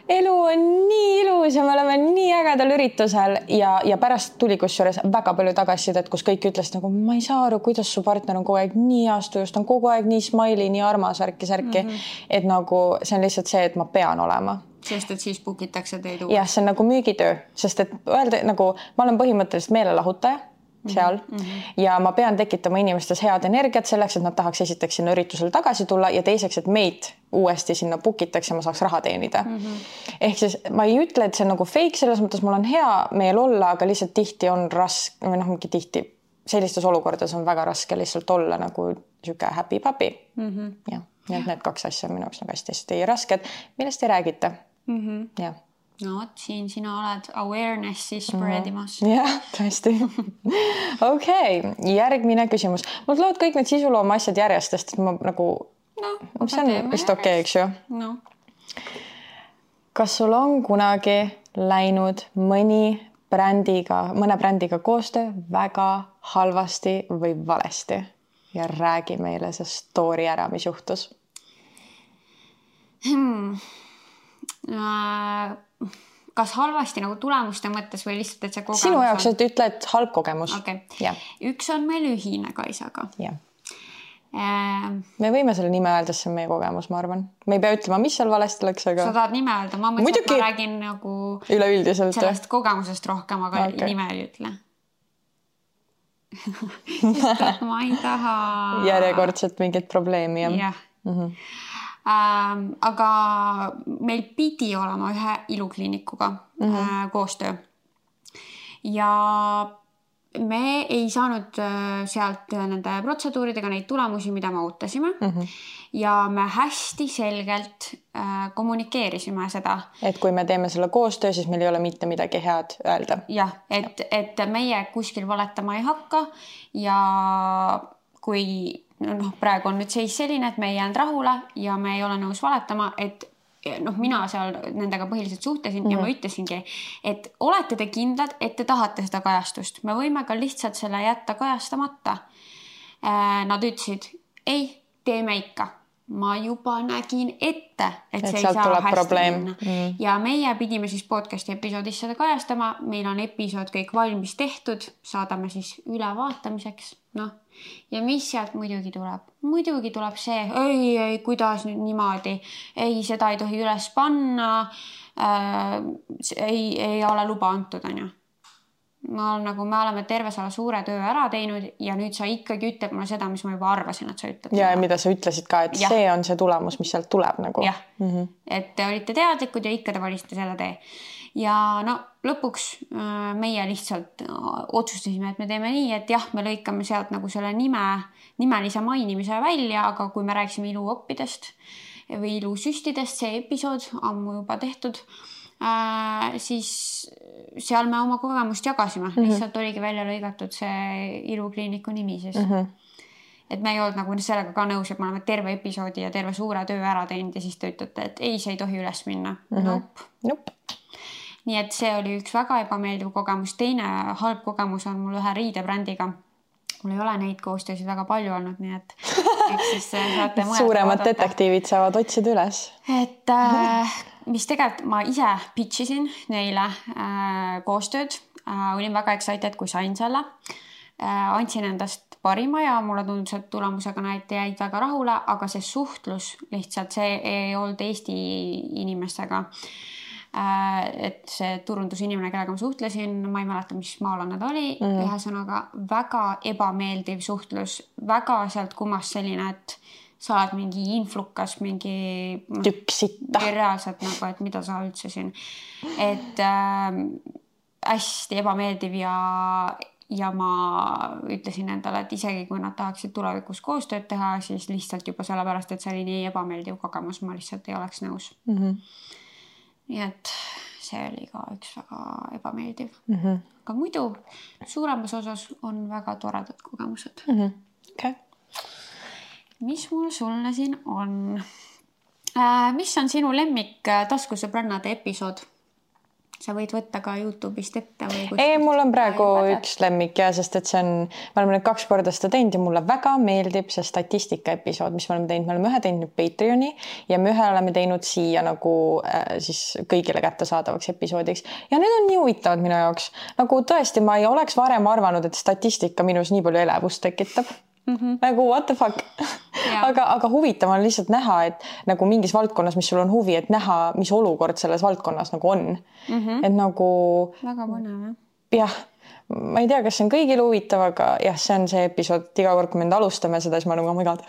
elu on nii ilus ja me oleme nii ägedal üritusel ja, ja pärast tuli kusjuures väga palju tagasisidet, kus kõik ütles nagu, ma ei saa aru, kuidas su partner on kogu aeg nii aastujust, on kogu aeg nii smiley, nii armas, ärki, särki, mm-hmm. et nagu see on lihtsalt see, et ma pean olema. Sest et siis bukitakse teid uue. Jah, see on nagu müügitöö, sest et öelda nagu, ma olen põhimõtteliselt meelelahutaja seal mm-hmm. ja ma pean tekitama inimestes head energiat selleks, et nad tahaks esiteks sinna üritusele tagasi tulla ja teiseks, et meid uuesti sinna bukitakse ja ma saaks raha teenida. Mm-hmm. Ehk siis ma ei ütle, et see on nagu fake, selles mõttes mul on hea meel olla, aga lihtsalt tihti on raske, või noh, mingi tihti sellistes olukordades on väga raske lihtsalt olla nagu siuke happy puppy. Mm-hmm. Ja, ja need kaks asja on minu jaoks nagu hästi rasked, millest ei räägita. Mm-hmm. Ja. No, siin sina oled awarenessi spreadimas. Mm-hmm. Jah, tõesti. Okei, okay. Järgmine küsimus. Mul tulevad kõik need sisulooma asjad järjestest, et ma nagu... No, see on vist okei, eks ju? No. Kas sul on kunagi läinud mõni brändiga, mõne brändiga koostöö väga halvasti või valesti? Ja räägi meile see story ära, mis juhtus. Hmm. Uh... Kas halvasti nagu tulemuste mõttes või lihtsalt, et see kogemus Sinu jaoks, et ütle, et halb kogemus. Okay. Ja. Üks on meil ühine Kaisaga. Ja. Ähm, me võime selle nime öelda, see on meie kogemus, ma arvan. Me ei pea ütlema, mis seal valesti läks, aga... Sa tahad nime öelda? Ma mõtlen, et ma räägin nagu... Üleüldiselt. Sellest kogemusest rohkem, aga okay. Nime ei ütle. Sest ma ei taha... Järjekordselt mingit probleemi. Jah. Yeah. Mm-hmm. Ähm, aga meil pidi olema ühe ilukliinikuga mm-hmm. äh, koostöö ja me ei saanud sealt nende protseduuridega neid tulemusi, mida me ootasime. Mm-hmm. Ja me hästi selgelt äh, kommunikeerisime seda. Et kui me teeme selle koostöö, siis meil ei ole mitte midagi head öelda. Jah, et, et meie kuskil valetama ei hakka ja kui noh, praegu on nüüd seis selline, et me ei jäänud rahule ja me ei ole nõus valetama, et noh, mina seal nendega põhiliselt suhtlesin mm-hmm. ja ma ütlesingi, et olete te kindlad, et te tahate seda kajastust. Me võime ka lihtsalt selle jätta kajastamata. Nad ütlesid, ei, teeme ikka. Ma juba nägin ette, et, et see ei saa hästi minna. Mm. Ja meie pidime siis podcasti episoodis seda kajastama. Meil on episood kõik valmis tehtud. Saadame siis ülevaatamiseks. Noh. Ja mis sealt muidugi tuleb? Muidugi tuleb see, ei, ei, kuidas nüüd niimoodi? Ei, seda ei tohi üles panna. Äh, ei, ei ole luba antud, on ju. Ma olen, nagu me oleme terve selle suure töö ära teinud ja nüüd sa ikkagi ütled mulle seda, mis ma juba arvasin, et sa ütled. Ja, ja mida sa ütlesid ka, et ja. See on see tulemus, mis sealt tuleb nagu. Jah, mm-hmm. et te olite teadlikud ja ikka te valisite selle tee. Ja no lõpuks meie lihtsalt otsustasime, et me teeme nii, et jah, me lõikame sealt nagu selle nime, nimelise mainimise välja, aga kui me rääksime iluoppidest või ilusüstidest, see episood ammu juba tehtud, Äh, siis seal me oma kogemust jagasime. Mm-hmm. Lihtsalt oligi välja lõigatud see ilukliiniku nimi siis. Mm-hmm. Et me ei olnud nagu sellega ka nõus, et me oleme terve episoodi ja terve suure töö ära teinud ja siis te ütlete, et ei, see ei tohi üles minna. Mm-hmm. Nope. Nope. Nii et see oli üks väga ebameeldiv kogemus. Teine halb kogemus on mul ühe riidebrändiga. Mul ei ole neid koostöösid väga palju olnud, nii et eks siis saate mõelda. Suuremad detektiivid saavad otsida üles. Et äh, mis tegelikult ma ise pitchisin neile äh, koostööd. Äh, olin väga excited, kui sain selle. Äh, andsin endast parima ja mulle tundus, et tulemusega näite jäid väga rahule, aga see suhtlus lihtsalt, see ei olnud Eesti inimestega. Et see turundusinimene, kellega ma suhtlesin, ma ei mäleta, mis maalane ta oli, mm. ühesõnaga väga ebameeldiv suhtlus, väga sealt kummas selline, et sa oled mingi influkas, mingi tüksita. Reaalselt nagu, et mida sa üldse siin. Et äh, hästi ebameeldiv ja, ja ma ütlesin endale, et isegi kui nad tahaksid tulevikus koostööd teha, siis lihtsalt juba sellepärast, et see oli nii ebameeldiv kogemus, ma lihtsalt ei oleks nõus. Mhm. Nii et see oli ka üks väga ebameeldiv. Mm-hmm. Aga muidu suuremas osas on väga toredad kogemused. Mm-hmm. Okay. Mis mul sulle siin on? Äh, mis on sinu lemmik taskusõbrannade episood? Sa võid võtta ka YouTube'ist ette või kuskilt. Ei, mul on praegu üks lemmik ja sest et see on, me oleme nüüd kaks korda seda teinud ja mulle väga meeldib see statistika episood, mis me oleme teinud. Me oleme ühe teinud Patreoni ja me ühe oleme teinud siia nagu äh, siis kõigile kättesaadavaks episoodiks. Ja need on nii huvitavad minu jaoks. Nagu tõesti, ma ei oleks varem arvanud, et statistika minus nii palju elevust tekitab. Mm-hmm. Nagu what the fuck aga, aga huvitav on lihtsalt näha, et nagu mingis valdkonnas, mis sul on huvi, et näha, mis olukord selles valdkonnas nagu on. Mm-hmm. Et nagu väga põnev. Jah, ma ei tea, kas see on kõigil huvitav, aga jah, see on see episood, iga kord, kui me alustame seda, siis ma nagu, oh my god,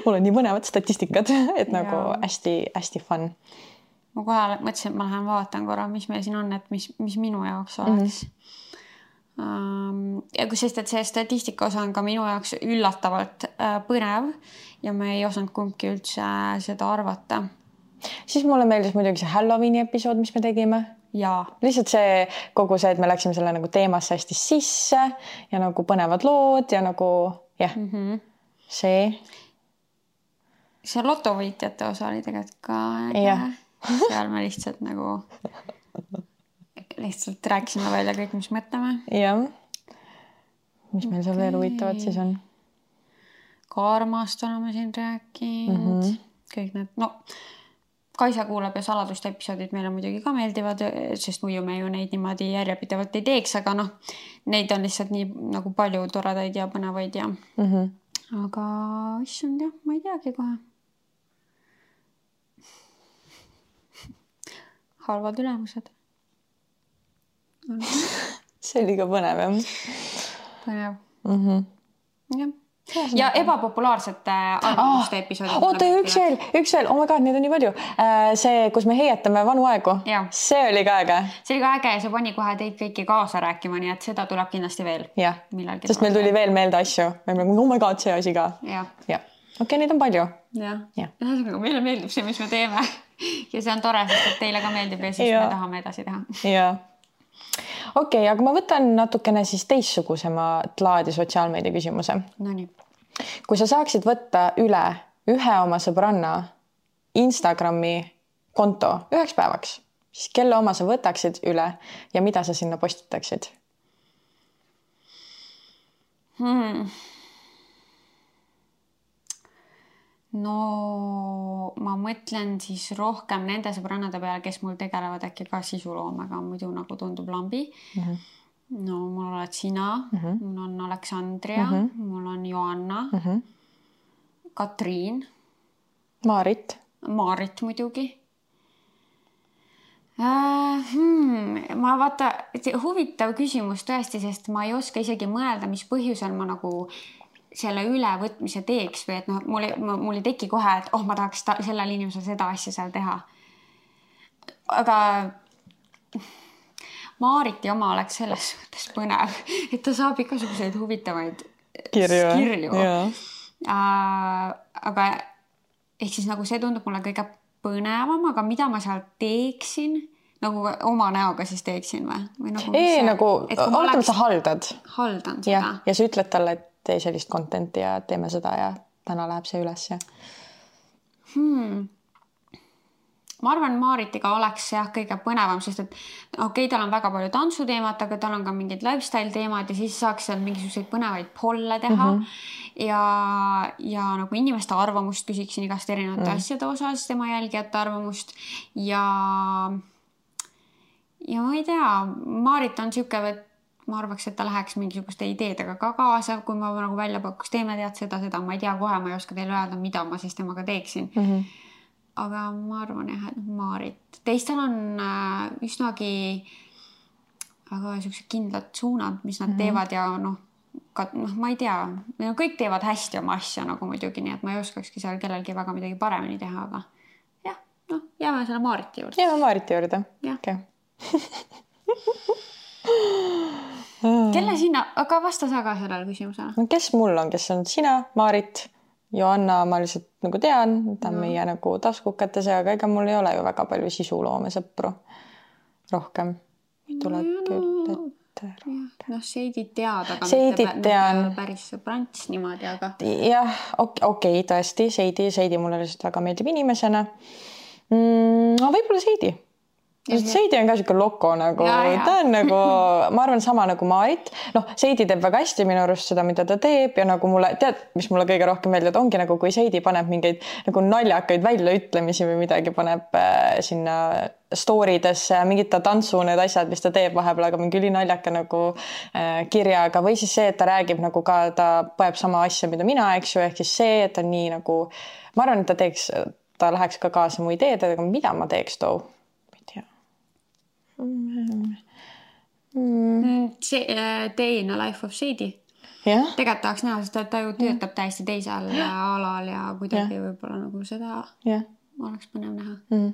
mul on nii põnevad statistikad, et nagu ja. hästi, hästi fun. Ma kohe mõtlesin, et ma lähen vaatan korra, mis meil siin on, et mis, mis minu jaoks oleks. Mm-hmm. Ja kui sest, et see statistika osa on ka minu jaoks üllatavalt põnev ja me ei osanud kumbki üldse seda arvata. Siis mulle meeldis muidugi see Halloweeni episood, mis me tegime. Jaa. Lihtsalt see kogu see, et me läksime selle nagu teemasse hästi sisse ja nagu põnevad lood ja nagu jah, mm-hmm. see. See lotovõitjate osa oli tegelikult ka. Jah. Seal me lihtsalt nagu lihtsalt rääkisime välja kõik, mis mõtleme. Jah. Mis meil seal okay. veel huvitavad siis on? Karmast oleme siin rääkinud. Mm-hmm. Kõik need, no Kaisa kuulab ja saladuste episoodid meile muidugi ka meeldivad, sest muidu me ju neid niimoodi järjepidevalt ei teeks, aga noh, neid on lihtsalt nii nagu palju toredaid ja põnevaid ja mm-hmm. aga issand jah, ma ei teagi kohe. Halvad ülemused. See oli ka põnev, jah? Põnev. Mm-hmm. Jah. ja ebapopulaarsete arvamuste ah, episoodid. Oota, üks veel, üks veel, oh my god, neid on nii palju. See, kus me heietame vanu aegu, ja. See oli ka äge. See oli ka äge ja see pani kohe teid kõiki kaasa rääkima, nii et seda tuleb kindlasti veel. Jah, sest meil tuli veel meelde asju. Oh my god, see asi ka. Ja. Ja. Okei, okay, neid on palju. Ja, ja. Meile meeldib see, mis me teeme. Ja see on tore, sest teile ka meeldib ja siis ja. Me tahame edasi teha. Ja. Okei, okay, aga ma võtan natukene siis teistsugusema laadi sotsiaalmeedia küsimuse. No nii. Kui sa saaksid võtta üle ühe oma sõbranna Instagrami konto üheks päevaks, siis kelle oma sa võtaksid üle ja mida sa sinna postitaksid? Hmm. No ma mõtlen siis rohkem nende sõbrannade peale, kes mul tegelevad äkki ka sisuloomega, muidu nagu tundub lambi. Mm-hmm. No mul oled sina, mm-hmm. mul on Aleksandria, mm-hmm. mul on Joanna, mm-hmm. Katriin. Maarit. Maarit muidugi. Äh, hmm, ma vaata, huvitav küsimus tõesti, sest ma ei oska isegi mõelda, mis põhjusel ma nagu selle ülevõtmise teeks või et noh, mul, mul ei teki kohe, et oh, ma tahaks ta, sellel inimesel seda asja seal teha. Aga Maariti oma oleks selles suhtes põnev, et ta saab igasuguseid huvitavaid kirju. kirju. Äh, aga ehk siis nagu see tundub mulle kõige põnevam, aga mida ma seal teeksin, nagu oma näoga siis teeksin või? või nagu, ei, see, nagu, oletame, sa haldad. Haldan seda. Ja, ja sa ütled talle, et tee sellist contenti ja teeme seda ja täna läheb see üles. Ja. Hmm. Ma arvan, Maaritiga oleks jah kõige põnevam, sest et okei, okay, tal on väga palju tantsuteemat, aga tal on ka mingid lifestyle teemad ja siis saaks seal mingisuguseid põnevaid polle teha mm-hmm. ja, ja nagu inimeste arvamust küsiksin igast erinevate mm. asjade osas, tema jälgijate arvamust ja ja ma ei tea, Maarit on siuke, et ma arvaks, et ta läheks mingisuguste ideedega ka kaasa, kui ma nagu välja pakkuks, teeme tead seda, seda, ma ei tea kohe, ma ei oska teile öelda, mida ma siis temaga teeksin. Mm-hmm. Aga ma arvan jah, et Maarit. Teistel on äh, üsnagi väga sellised kindlad suunad, mis nad mm-hmm. teevad ja noh, ka, noh, ma ei tea, kõik teevad hästi oma asja nagu muidugi, nii et ma ei oskakski seal kellelgi väga midagi paremini teha, aga jah, noh, jääme selle Maariti juurde. Jääme Maariti juurde. Jah. Okay. Kelle sina, aga vasta sa ka sellele küsimusele. No, kes mul on, kes on sina, Maarit, Joanna, ma lihtsalt nagu tean, ta on no. meie nagu taskukates, aga ega mul ei ole ju väga palju sisuloome sõpru rohkem. Tuleb no, küll ette. Noh, Seidit tead, aga Seidit mitte tean. Päris sõbrants niimoodi, aga... Jah, okei, okay, tõesti, Seidi, Seidi mulle lihtsalt väga meeldib inimesena. Mm, no võib-olla Seidi. Seidi on ka siuke loko nagu, ja, ja. Ta on nagu, ma arvan sama nagu Maarit. Noh, Seidi teeb väga hästi minu arust seda, mida ta teeb ja nagu mulle, tead, mis mulle kõige rohkem meeldib, ongi nagu, kui Seidi paneb mingeid nagu naljakaid väljaütlemisi või midagi paneb äh, sinna storidesse, mingid ta tantsu need asjad, mis ta teeb vahepeal, aga mingi ülinaljaka nagu äh, kirjaga või siis see, et ta räägib nagu ka, ta poeb sama asja, mida mina, eks ju, ehk siis see, et ta nii nagu, ma arvan, et ta teeks, ta läheks ka kaasa mu ideedega, mida ma teeks too. Mm. See, Day in a Life of Shady yeah. tegelikult tahaks näha, sest ta ju töötab yeah. täiesti teisel alal ja kuidagi yeah. võib-olla nagu seda yeah. oleks põnev näha mm.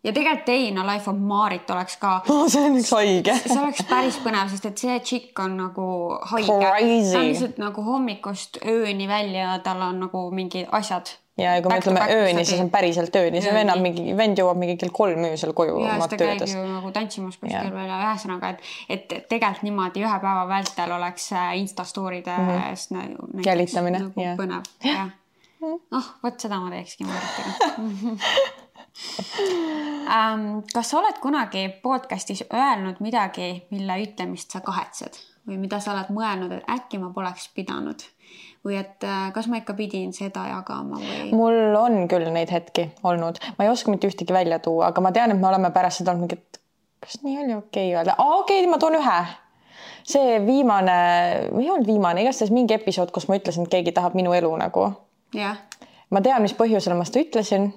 ja tegelikult Day in a Life of Maarit oleks ka oh, see on üks haige see oleks päris põnev, sest et see tšikk on nagu haige Crazy. Ta on lihtsalt nagu hommikust ööni välja ja tal on nagu mingi asjad ja kui me ütleme ööni, siis on päriselt ööni. See vennab mingi, vend jõuab mingi kell kolm öösel koju. Ja seda käib ju nagu tantsimus kuskil veel ja ühesõnaga, et, et tegelikult niimoodi ühe päeva vältel oleks Instastooride mm-hmm. näiteks, jälitamine. Nagu ja. Põnev. Ja. Oh, võt seda ma teekski Maaritiga. um, kas sa oled kunagi podcastis öelnud midagi, mille ütlemist sa kahetsed või mida sa oled mõelnud, et äkki ma poleks pidanud? Või et kas ma ikka pidin seda jagama või? Mul on küll neid hetki olnud. Ma ei oska mitte ühtegi välja tuua, aga ma tean, et me oleme pärast seda olnud mingit, kas nii oli okei öelda? Aa, okei, ma toon ühe. See viimane, ei olnud viimane, igastahes mingi episood, kus ma ütlesin, et keegi tahab minu elu nagu. Yeah. Ma tean, mis põhjusel ma seda ütlesin.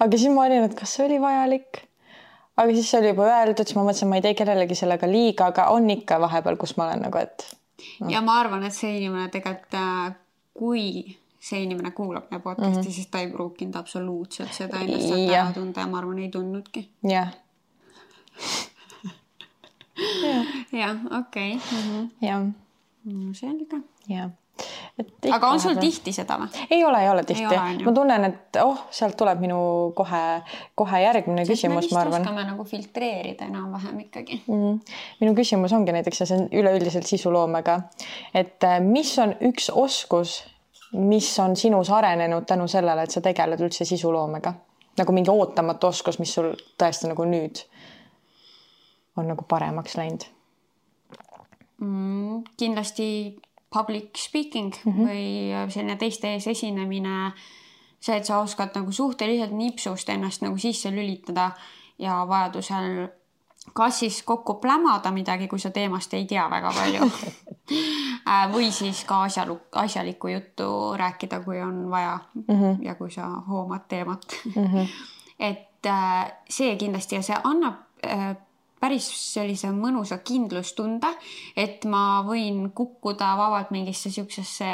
Aga siis ma olin, et kas see oli vajalik? Aga siis see oli juba öeldud, siis ma mõtlesin, ma ei tee kellelegi sellega liiga, aga on ikka vahepeal, kus ma olen nagu, et ja ma arvan, et see inimene tegelikult, kui see inimene kuulab meie podcasti, mm -hmm. siis ta ei pruukinud absoluutselt seda ennast ära tunda ja ma arvan, ei tundnudki. jah. jah, okei. jah. Selge. jah. aga on sul tihti seda või? ei ole, ei ole tihti. Ei ole, ma tunnen, et oh, sealt tuleb minu kohe, kohe järgmine Sest küsimus, ma arvan. Me oskame nagu filtreerida enam-vähem ikkagi. Mm -hmm. Minu küsimus ongi näiteks, see on üleüldiselt sisuloomega, et mis on üks oskus, mis on sinus arenenud tänu sellele, et sa tegeled üldse sisuloomega? Nagu mingi ootamatu oskus, mis sul tõesti nagu nüüd on nagu paremaks läinud? Mm, kindlasti public speaking mm -hmm. või selline teiste ees esinemine. See, et sa oskad nagu suhteliselt nipsust ennast nagu sisse lülitada ja vajadusel kas siis kokku plämada midagi, kui sa teemast ei tea väga palju. või siis ka asjalu, asjalikku juttu rääkida, kui on vaja mm -hmm. ja kui sa hoomad teemat. Mm -hmm. et see kindlasti ja see annab päris sellise mõnusa kindlustunde, et ma võin kukkuda vabalt mingisse siuksesse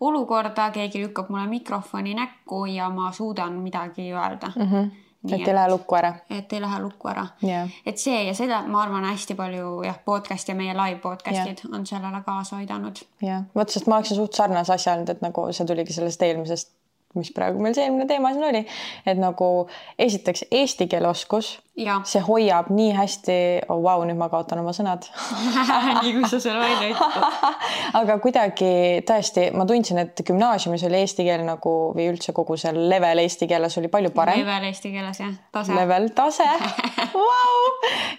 olukorda, keegi lükkab mulle mikrofoni näkku ja ma suudan midagi öelda. Mm -hmm. Nii, et ei lähe lukku ära. Et ei lähe lukku ära. Yeah. Et see ja seda ma arvan hästi palju jah, podcast ja meie live podcastid yeah. on sellele kaasa aidanud. jah, vot sest ma oleksin suht sarnase asja olnud, et nagu see tuligi sellest eelmisest, mis praegu meil see eelmine teema siin oli, et nagu esiteks eesti keele oskus, see hoiab nii hästi, oh vau, wow, nüüd ma kaotan oma sõnad. nii kui sa selle välja ütled. aga kuidagi tõesti, ma tundsin, et gümnaasiumis oli eesti keel nagu või üldse kogu see level eesti keeles oli palju parem. Level eesti keeles, jah, tase. Level, tase, wow.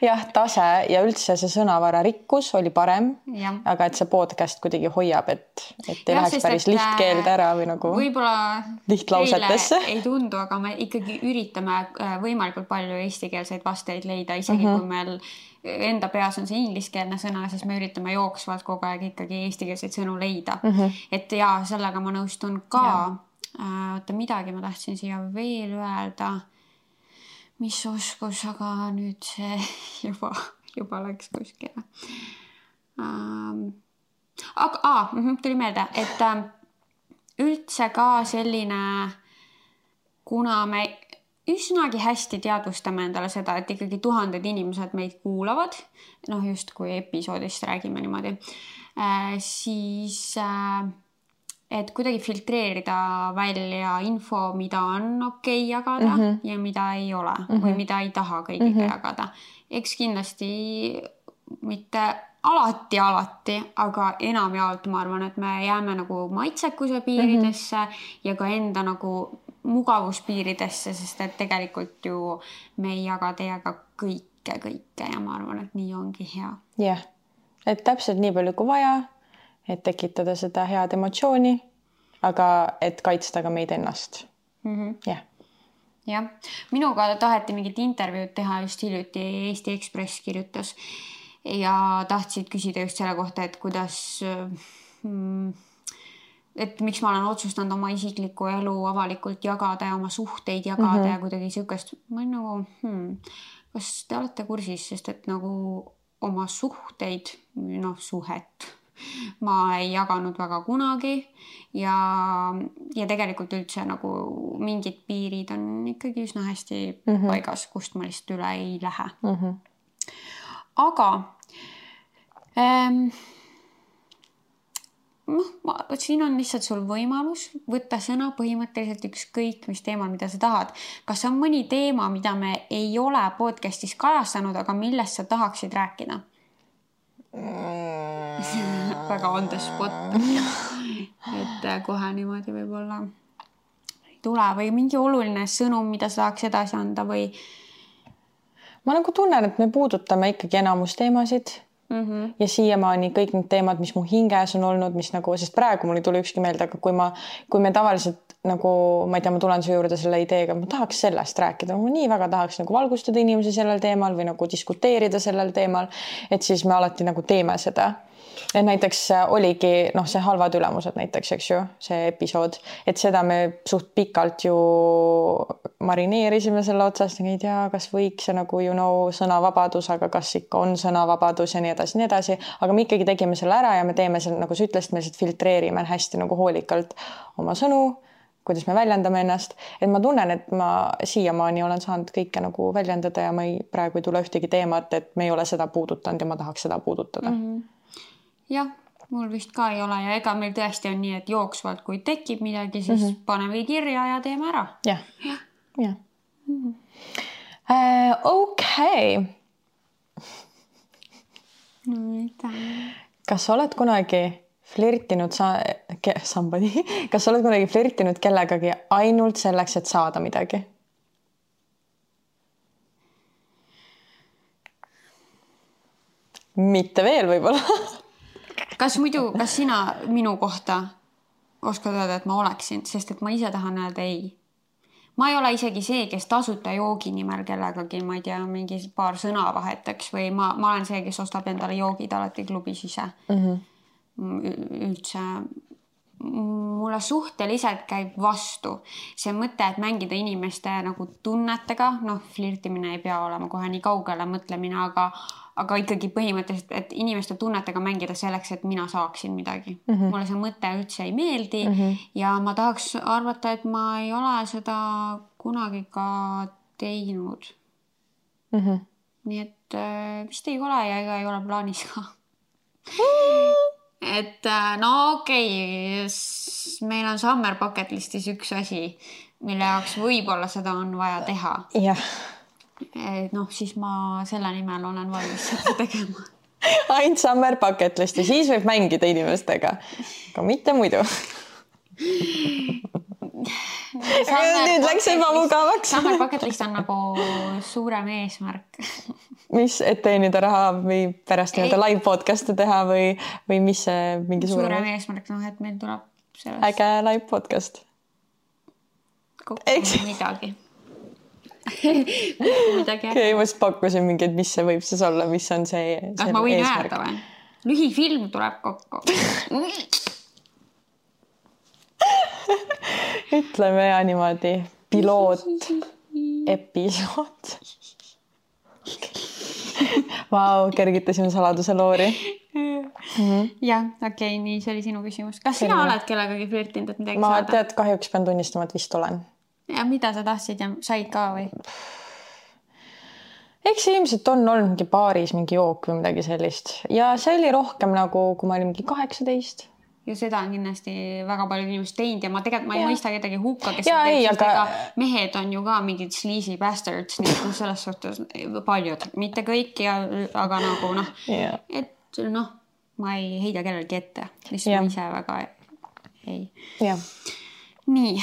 jah, tase ja üldse see sõnavara rikkus oli parem, ja. aga et see podcast kuidagi hoiab, et, et ei ja, läheks päris lihtkeelde ära või nagu võib-olla lihtlausetesse. ei tundu, aga me ikkagi üritame võimalikult palju eesti keele vasteid leida, isegi uh-huh. kui meil enda peas on see ingliskeelne sõna, siis me üritame jooksvalt kogu aeg ikkagi eestikeelseid sõnu leida. Uh-huh. Et ja sellega ma nõustun ka. Oota, midagi ma tahtsin siia veel öelda. Mis oskus, aga nüüd see juba, juba läks kuskile. Aga aa, tuli meelde, et üldse ka selline, kuna me üsnagi hästi teadvustame endale seda, et ikkagi tuhanded inimesed meid kuulavad, noh just kui episoodist räägime niimoodi, äh, siis äh, et kuidagi filtreerida välja info, mida on okei jagada mm -hmm. ja mida ei ole mm -hmm. või mida ei taha kõigiga mm -hmm. jagada. Eks kindlasti mitte alati, alati, aga enamjaolt ma arvan, et me jääme nagu maitsekuse piiridesse mm -hmm. ja ka enda nagu mugavuspiiridesse, sest et tegelikult ju me ei jaga teiega kõike, kõike ja ma arvan, et nii ongi hea. Jah, et täpselt nii palju kui vaja, et tekitada seda head emotsiooni, aga et kaitsta ka meid ennast. Mm-hmm. Jah. Jah, minuga taheti mingit intervjuud teha just hiljuti, Eesti Ekspress kirjutas ja tahtsid küsida just selle kohta, et kuidas... Hmm, et miks ma olen otsustanud oma isiklikku elu avalikult jagada ja oma suhteid jagada mm -hmm. ja kuidagi siukest, ma olen nagu, hmm, kas te olete kursis, sest et nagu oma suhteid, noh suhet, ma ei jaganud väga kunagi ja, ja tegelikult üldse nagu mingid piirid on ikkagi üsna hästi mm -hmm. paigas, kust ma lihtsalt üle ei lähe. Mm -hmm. Aga ähm, noh, ma, siin on lihtsalt sul võimalus võtta sõna põhimõtteliselt ükskõik mis teemal, mida sa tahad. Kas on mõni teema, mida me ei ole podcastis kajastanud, aga millest sa tahaksid rääkida? Mm. väga on the spot. et kohe niimoodi võib-olla ei tule või mingi oluline sõnum, mida sa tahaks edasi anda või? Ma nagu tunnen, et me puudutame ikkagi enamus teemasid. Mm-hmm. Ja siiamaani kõik need teemad, mis mu hinges on olnud, mis nagu, sest praegu mul ei tule ükski meelde, aga kui ma, kui me tavaliselt nagu, ma ei tea, ma tulen su juurde selle ideega, ma tahaks sellest rääkida, ma nii väga tahaks nagu valgustada inimesi sellel teemal või nagu diskuteerida sellel teemal, et siis me alati nagu teeme seda. Et näiteks oligi noh, see halvad ülemused näiteks, eks ju, see episood, et seda me suht pikalt ju marineerisime selle otsast, ei tea, kas võiks see nagu you know, sõnavabadus, aga kas ikka on sõnavabadus ja nii edasi, nii edasi, aga me ikkagi tegime selle ära ja me teeme selle, nagu sa ütlesid, me lihtsalt filtreerime hästi nagu hoolikalt oma sõnu, kuidas me väljendame ennast, et ma tunnen, et ma siiamaani olen saanud kõike nagu väljendada ja ma ei, praegu ei tule ühtegi teemat, et me ei ole seda puudutanud ja ma tahaks seda puudutada. Mm-hmm. Jah, mul vist ka ei ole ja ega meil tõesti on nii, et jooksvalt, kui tekib midagi, siis mm-hmm. paneme kirja ja teeme ära. Jah, jah. jah. Mm-hmm. Uh, okei. No mida? Kas oled kunagi flirtinud sa, ke, somebody, kas oled kunagi flirtinud kellegagi ainult selleks, et saada midagi? Mitte veel võib-olla. Kas muidu, kas sina minu kohta oskad öelda, et ma oleksin, sest et ma ise tahan öelda ei. Ma ei ole isegi see, kes tasuta joogi nimel kellegagi, ma ei tea, mingi paar sõna vahetaks või ma, ma olen see, kes ostab endale joogid alati klubis ise. Mhm. Üldse mulle suhteliselt käib vastu see mõte, et mängida inimeste nagu tunnetega, noh, flirtimine ei pea olema kohe nii kaugele mõtlemine, aga, aga ikkagi põhimõtteliselt, et inimeste tunnetega mängida selleks, et mina saaksin midagi. Mm-hmm. Mulle see mõte üldse ei meeldi mm-hmm. ja ma tahaks arvata, et ma ei ole seda kunagi ka teinud. Mm-hmm. Nii et vist ei ole ja ega ei ole plaanis ka. Et no okei, okay, meil on summer bucket listis üks asi, mille jaoks võib-olla seda on vaja teha. Yeah. Et noh, siis ma selle nimel olen valmis seda tegema. Ainult summer bucket listi, siis võib mängida inimestega, aga mitte muidu. Nüüd läks juba mugavaks. Summer bucket list on nagu suurem eesmärk. Mis, et teenida raha või pärast nii-öelda live podcast'e teha või, või mis see mingi suurem... Suurem eesmärk, noh, et meil tuleb sellest... Äge live podcast. Kokku midagi. midagi okay, ma just pakkusin mingi, et mis see võib siis olla, mis on see, see ah, ma võin öelda või? Lühifilm tuleb kokku. Ütleme ja niimoodi piloot episood. Vau, kergitasime saladuse loori. Mm-hmm. Jah, okei, okay, nii see oli sinu küsimus. Kas sina Selline. Oled kellegagi flirtinud, et midagi ma saada? Ma tead, kahjuks pean tunnistama, et vist olen. Ja mida sa tahtsid ja said ka või? Eks ilmselt on olnud mingi baaris mingi jook või midagi sellist. Ja see oli rohkem nagu, kui ma olin mingi kaheksateist. Ja seda on kindlasti väga palju inimest teinud ja ma tegelikult ma ei ja. mõista kedagi hukka, kes ja, ei, teeb, aga... mehed on ju ka mingid sleazy bastards, nii et selles suhtes paljud, mitte kõik, ja, aga nagu noh, ja. et noh, ma ei heida kellelgi ette, lihtsalt ma ise väga ei. Ja. Nii.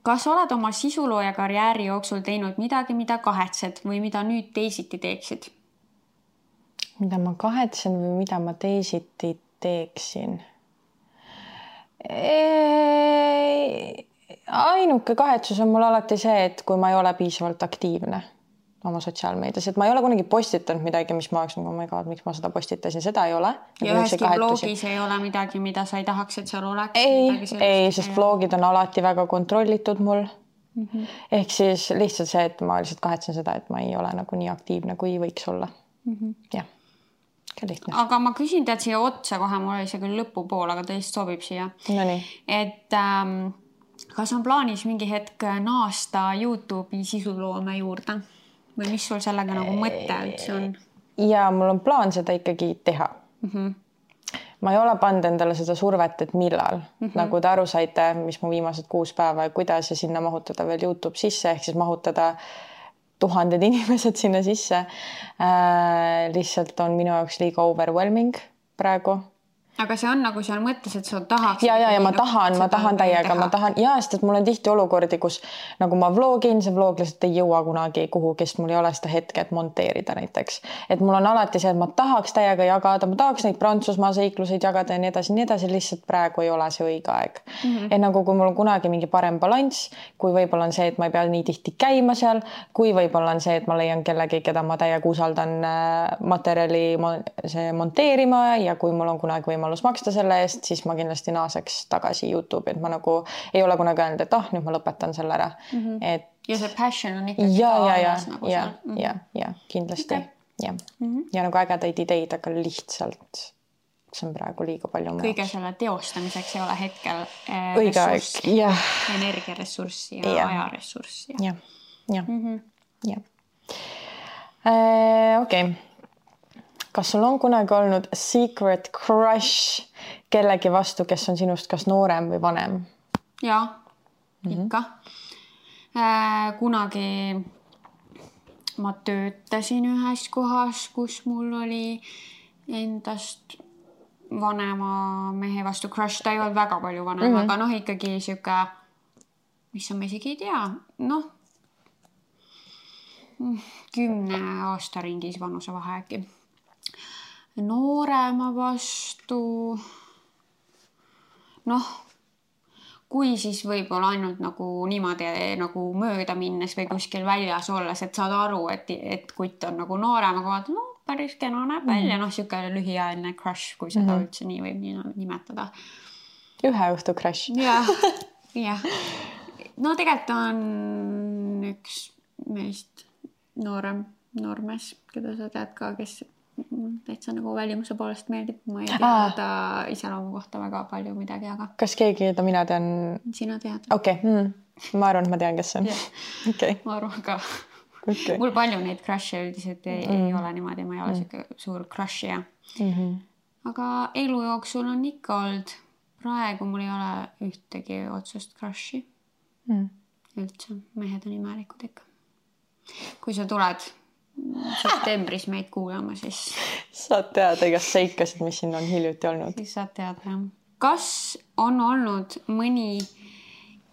Kas oled oma sisulooja karjääri jooksul teinud midagi, mida kahetsed või mida nüüd teisiti teeksid? Mida ma kahetsen või mida ma teisiti teeksin? Ei, ainuke kahetsus on mul alati see, et kui ma ei ole piisavalt aktiivne oma sotsiaalmeedias, et ma ei ole kunagi postitanud midagi, mis ma oleks nagu, oh my god, miks ma seda postitasin, seda ei ole. Ja üheski vlogis ei ole midagi, mida sa ei tahaks, et seal oleks? Ei, ei, sest vlogid on alati väga kontrollitud mul. Mm-hmm. Ehk siis lihtsalt see, et ma lihtsalt kahetsen seda, et ma ei ole nagu nii aktiivne, kui võiks olla. Mm-hmm. Jah. Lihtne. Aga ma küsin tead siia otsa kohe, mul oli see küll lõpupool, aga tõesti sobib siia. No nii. Et ähm, kas on plaanis mingi hetk naasta YouTube'i sisuloome juurde? Või mis sul sellega nagu mõte üldse on? Ja mul on plaan seda ikkagi teha. Mm-hmm. Ma ei ole pannud endale seda survet, et millal. Mm-hmm. Nagu te aru saite, mis mu viimased kuus päeva ja kuidas ja sinna mahutada veel YouTube sisse, ehk siis mahutada tuhanded inimesed sinna sisse. Äh, lihtsalt on minu jaoks liiga overwhelming praegu. aga see on nagu seal mõttes, et sa tahaks. Ja, ja, ja ma tahan, ma tahan täiega, ma tahan, ja, sest et mul on tihti olukordi, kus nagu ma vlogin, see vlog lihtsalt ei jõua kunagi kuhu, kes mul ei ole seda hetke, et monteerida näiteks. Et mul on alati see, et ma tahaks täiega jagada, ma tahaks neid Prantsusmaa seikluseid jagada ja nii edasi, nii edasi, lihtsalt praegu ei ole see õige aeg. Mm -hmm. Et nagu kui mul on kunagi mingi parem balanss, kui võib-olla on see, et ma ei pea nii tihti käima seal, kui võib-olla on see, et ma leian kellegi, keda ma täiega usaldan materjali see monteerima ja kui mul on kunagi võimalus maksta selle eest, siis ma kindlasti naaseks tagasi YouTube, et ma nagu ei ole kunagi öelnud, et ah, nüüd ma lõpetan selle ära. Mm -hmm. et... Ja see passion on ikkagi ja, ja, ja, nagu ja, mm -hmm. ja, ja, kindlasti. Okay. Ja. Mm -hmm. ja nagu ägedaid ideid, aga lihtsalt see on praegu liiga palju. Kõige selle teostamiseks ei ole hetkel eh, õige aeg, jah. Energiaressurssi ja, ja. ajaressurssi. Ja, ja, mm -hmm. ja. Äh, okei. Okay. Kas sul on kunagi olnud secret crush kellegi vastu, kes on sinust kas noorem või vanem? Jaa, mm-hmm. ikka. Äh, kunagi ma töötasin ühes kohas, kus mul oli endast vanema mehe vastu crush. Ta ei olnud väga palju vanem, mm-hmm. aga noh, ikkagi siuke, mis on, ma isegi ei tea, noh, kümne aasta ringis vanuse vahe äkki. Noorema vastu, noh, kui siis võib-olla ainult nagu niimoodi nagu mööda minnes või kuskil väljas olles, et saad aru, et, et kutt on nagu noorem, aga vaata, no päris kena näeb välja, mm. noh, siuke lühiajaline crush, kui seda mm. üldse nii võib nii nimetada. Ühe õhtu crush. jah, jah. No tegelikult on üks meist noorem, noormees, keda sa tead ka, kes täitsa nagu välimuse poolest meeldib. Ma ei tea Aa. ta iseloomu kohta väga palju midagi, aga... Kas keegi, jota mina tean? Sina tead. Okei, okay. mm. ma arvan, et ma tean, kes see on. Okay. Ma arvan ka. Okay. Mul palju neid crush'e üldiselt ei, mm. ei ole niimoodi, ma ei ole mm. siuke suur crush'ia. Mm -hmm. Aga elu jooksul on ikka olnud. Praegu mul ei ole ühtegi otsust crush'i. Mm. Üldse, mehed on imelikud ikka. Kui sa tuled septembris meid kuulama, siis... Saad teada igast seikasid, mis siin on hiljuti olnud. Siis saad teada, jah. Kas on olnud mõni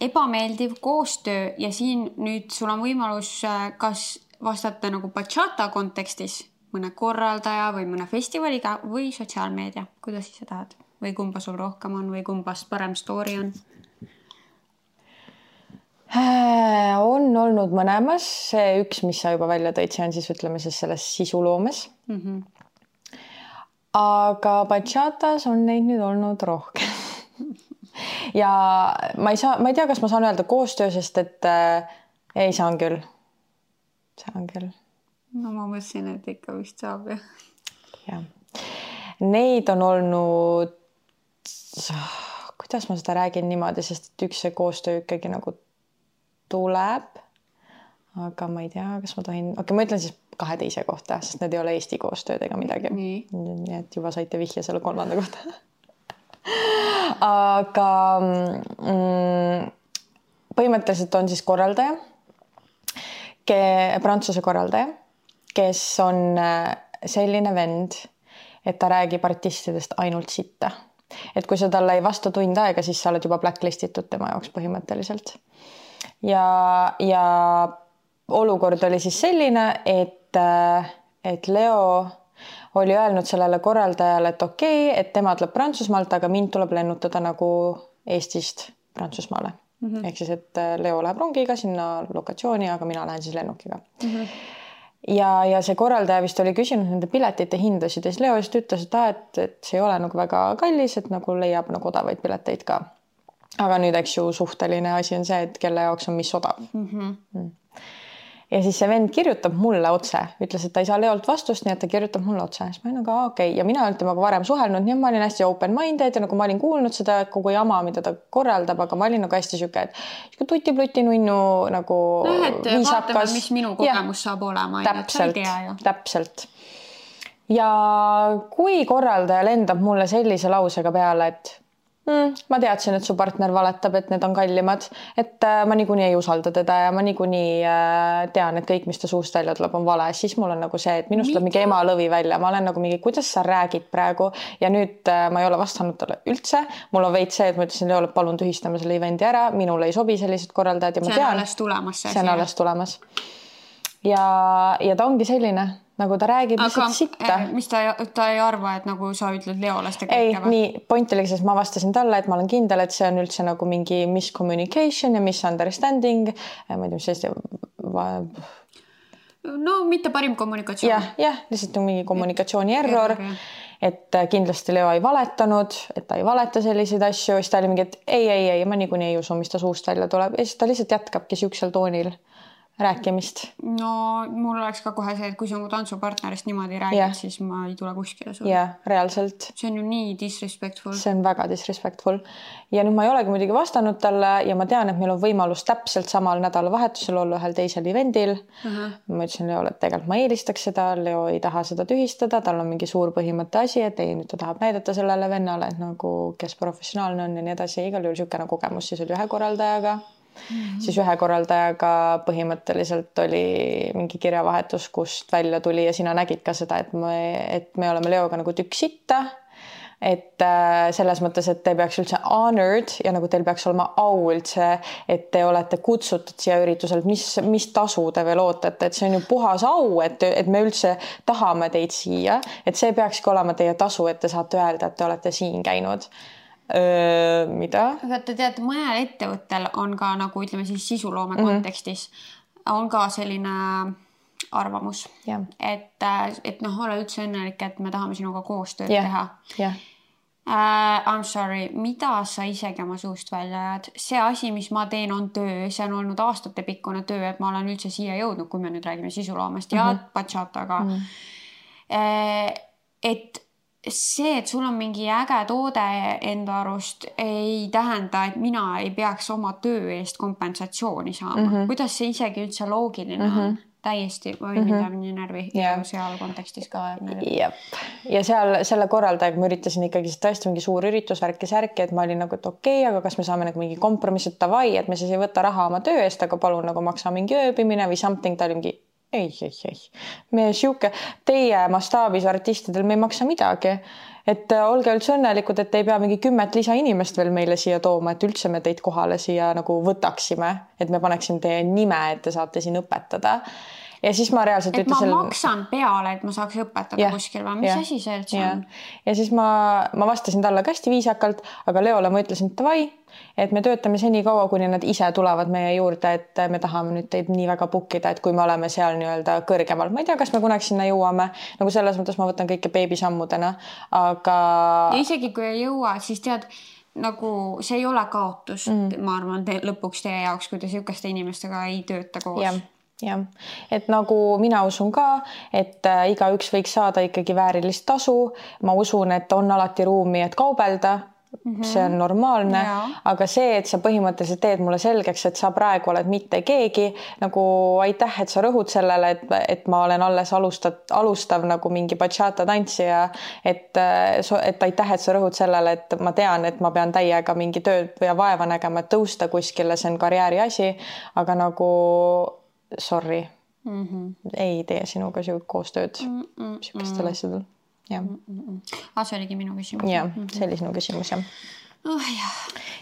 ebameeldiv koostöö ja siin nüüd sul on võimalus kas vastata nagu bachata kontekstis mõne korraldaja või mõne festivaliga või sotsiaalmeedia? Kuidas sa tahad? Või kumba sul rohkem on või kumbast parem story on? On olnud mõlemas. See üks, mis sa juba välja tõid, see on siis ütleme siis selles sisuloomes. Mm -hmm. Aga bachatas on neid nüüd olnud rohkem. Ja ma ei saa, ma ei tea, kas ma saan öelda koostöö, sest et äh, ei saan küll. Saan küll. No ma mõtlesin, et ikka vist saab. Ja. Ja. Neid on olnud, kuidas ma seda räägin niimoodi, sest et üks see koostöö ikkagi nagu tuleb, aga ma ei tea, kas ma tohin, okei, okay, ma ütlen siis kahe teise kohta, sest need ei ole Eesti koostööd ega midagi. Nii. Nii et juba saite vihje selle kolmanda kohta. Aga mm, põhimõtteliselt on siis korraldaja, ke, prantsuse korraldaja, kes on selline vend, et ta räägib artistidest ainult sitta. Et kui sa talle ei vasta tund aega, siis sa oled juba blacklistitud tema jaoks põhimõtteliselt. Ja, ja olukord oli siis selline, et, et Leo oli öelnud sellele korraldajale, et okei, okay, et tema tuleb Prantsusmaalt, aga mind tuleb lennutada nagu Eestist Prantsusmaale. Mm -hmm. Ehk siis, et Leo läheb rongiga sinna lokatsiooni, aga mina lähen siis lennukiga. Mm -hmm. Ja, ja see korraldaja vist oli küsinud nende piletite hindasid ja siis Leo just ütles, et, ah, et, et see ei ole nagu väga kallis, et nagu leiab nagu odavaid pileteid ka. Aga nüüd, eks ju, suhteline asi on see, et kelle jaoks on mis odav. Mm-hmm. Mm. Ja siis see vend kirjutab mulle otse, ütles, et ta ei saa Leolt vastust, nii et ta kirjutab mulle otse. Siis ma olin aga okei. Okay. Ja mina olen temaga varem suhelnud, nii ma olin hästi open-minded ja nagu ma olin kuulnud seda kogu jama, mida ta korraldab, aga ma olin nagu hästi siuke, et tuti-pluti nunnu nagu no, et viisakas. Vaatame, mis minu kogemus ja, saab olema. Täpselt, täpselt. Ja kui korraldaja lendab mulle sellise lausega peale, et mm, ma teadsin, et su partner valetab, et need on kallimad, et äh, ma niikuinii ei usalda teda ja ma niikuinii äh, tean, et kõik, mis ta suust välja tuleb, on vale, siis mul on nagu see, et minust tuleb mingi ema lõvi välja, ma olen nagu mingi, kuidas sa räägid praegu ja nüüd äh, ma ei ole vastanud talle üldse, mul on veits see, et ma ütlesin Leole, palun tühistame selle evendi ära, minule ei sobi sellised korraldajad ja ma see tean. On alles tulemas, see on alles tulemas. Ja, ja ta ongi selline, nagu ta räägib lihtsalt sitta. Mis ta, ta ei arva, et nagu sa ütled Leole seda ei, kõike? Nii, point oli, sest ma vastasin talle, et ma olen kindel, et see on üldse nagu mingi miscommunication ja misunderstanding. Ma ei tea, mis see no mitte parim kommunikatsioon. Jah, jah, lihtsalt on mingi kommunikatsiooni error, et kindlasti Leo ei valetanud, et ta ei valeta selliseid asju. Siis ta oli mingi, et ei, ei, ei, ma niikuinii ei usu, mis ta suust välja tuleb. Ja siis ta lihtsalt jätkabki siuksel toonil rääkimist. No mul oleks ka kohe see, et kui sa mu tantsupartnerist niimoodi räägid, yeah. siis ma ei tule kuskile sulle. Jah, reaalselt. See on ju nii disrespectful. See on väga disrespectful. Ja nüüd ma ei olegi muidugi vastanud talle ja ma tean, et meil on võimalus täpselt samal nädalavahetusel olla ühel teisel evendil. Uh-huh. Ma ütlesin Leole, et tegelikult ma eelistaks seda. Leo ei taha seda tühistada. Tal on mingi suur põhimõtte asi, et ei, nüüd ta tahab näidata sellele vennale, et nagu kes professionaalne on ja nii edasi. Igal juhul siukene kogemus siis oli ühe korraldajaga. Mm-hmm. Siis ühe korraldajaga põhimõtteliselt oli mingi kirjavahetus, kust välja tuli ja sina nägid ka seda, et me, et me oleme Leoga nagu tükk sitta, et äh, selles mõttes, et te peaks üldse honored ja nagu teil peaks olema au üldse, et te olete kutsutud siia ürituselt, mis, mis tasu te veel ootate, et see on ju puhas au, et, et me üldse tahame teid siia, et see peakski olema teie tasu, et te saate öelda, et te olete siin käinud. Öö, mida? Aga te teate, mõnel ettevõttel on ka nagu ütleme siis sisuloome mm-hmm. kontekstis on ka selline arvamus, yeah. et, et noh, ole üldse õnnelik, et me tahame sinuga koostööd yeah. teha. Yeah. Uh, I'm sorry, mida sa isegi oma suust välja ajad? See asi, mis ma teen, on töö, see on olnud aastate pikkune töö, et ma olen üldse siia jõudnud, kui me nüüd räägime sisuloomest ja mm-hmm. bachataga. Mm-hmm. Uh, et see, et sul on mingi äge toode enda arust ei tähenda, et mina ei peaks oma töö eest kompensatsiooni saama. Mm-hmm. Kuidas see isegi üldse loogiline mm-hmm. on? Täiesti või mm-hmm. mida minu närvi yeah. ja seal kontekstis ka. Jep. Ja seal selle korraldajaga ma üritasin ikkagi tõesti mingi suur üritus värki särki, et ma olin nagu, et okei, okay, aga kas me saame nagu mingi kompromiss, et tavai, et me siis ei võta raha oma töö eest, aga palun nagu maksa mingi ööbimine või something, ta oli mingi ei, ei, ei. Me siuke, teie mastaabis artistidel me ei maksa midagi. Et olge üldse õnnelikud, et ei pea mingi kümmet lisa inimest veel meile siia tooma, et üldse me teid kohale siia nagu võtaksime, et me paneksime teie nime, et te saate siin õpetada. Ja siis ma reaalselt et ütlesin... ma maksan peale, et ma saaks õpetada yeah, kuskil või mis yeah, asi see üldse yeah. on? Ja siis ma, ma vastasin talle ka hästi viisakalt, aga Leole ma ütlesin, et tavai, et me töötame seni kaua, kuni nad ise tulevad meie juurde, et me tahame nüüd teid nii väga pukkida, et kui me oleme seal nii-öelda kõrgemal. Ma ei tea, kas me kunagi sinna jõuame. Nagu selles mõttes ma võtan kõike beebisammudena, aga... Ja isegi kui ei jõua, siis tead, nagu see ei ole kaotus. Mm. Ma arvan, te, lõpuks teie jaoks, kui te siukeste inimestega ei tööta koos. Yeah. Jah, et nagu mina usun ka, et äh, igaüks võiks saada ikkagi väärilist tasu. Ma usun, et on alati ruumi, et kaubelda. Mm-hmm. See on normaalne, ja. Aga see, et sa põhimõtteliselt teed mulle selgeks, et sa praegu oled mitte keegi, nagu aitäh, et sa rõhud sellele, et, et ma olen alles alustav, alustav nagu mingi bachata tantsija, et, et aitäh, et sa rõhud sellele, et ma tean, et ma pean täiega mingi tööd ja vaeva nägema, et tõusta kuskile, see on karjääri asi, aga nagu sorry, mm-hmm. ei tee sinuga koostööd mm-mm. siukestel asjadel. Ja. Ah, see oligi minu küsimus. Ja, see oli sinu küsimus, jah. Oh, jah.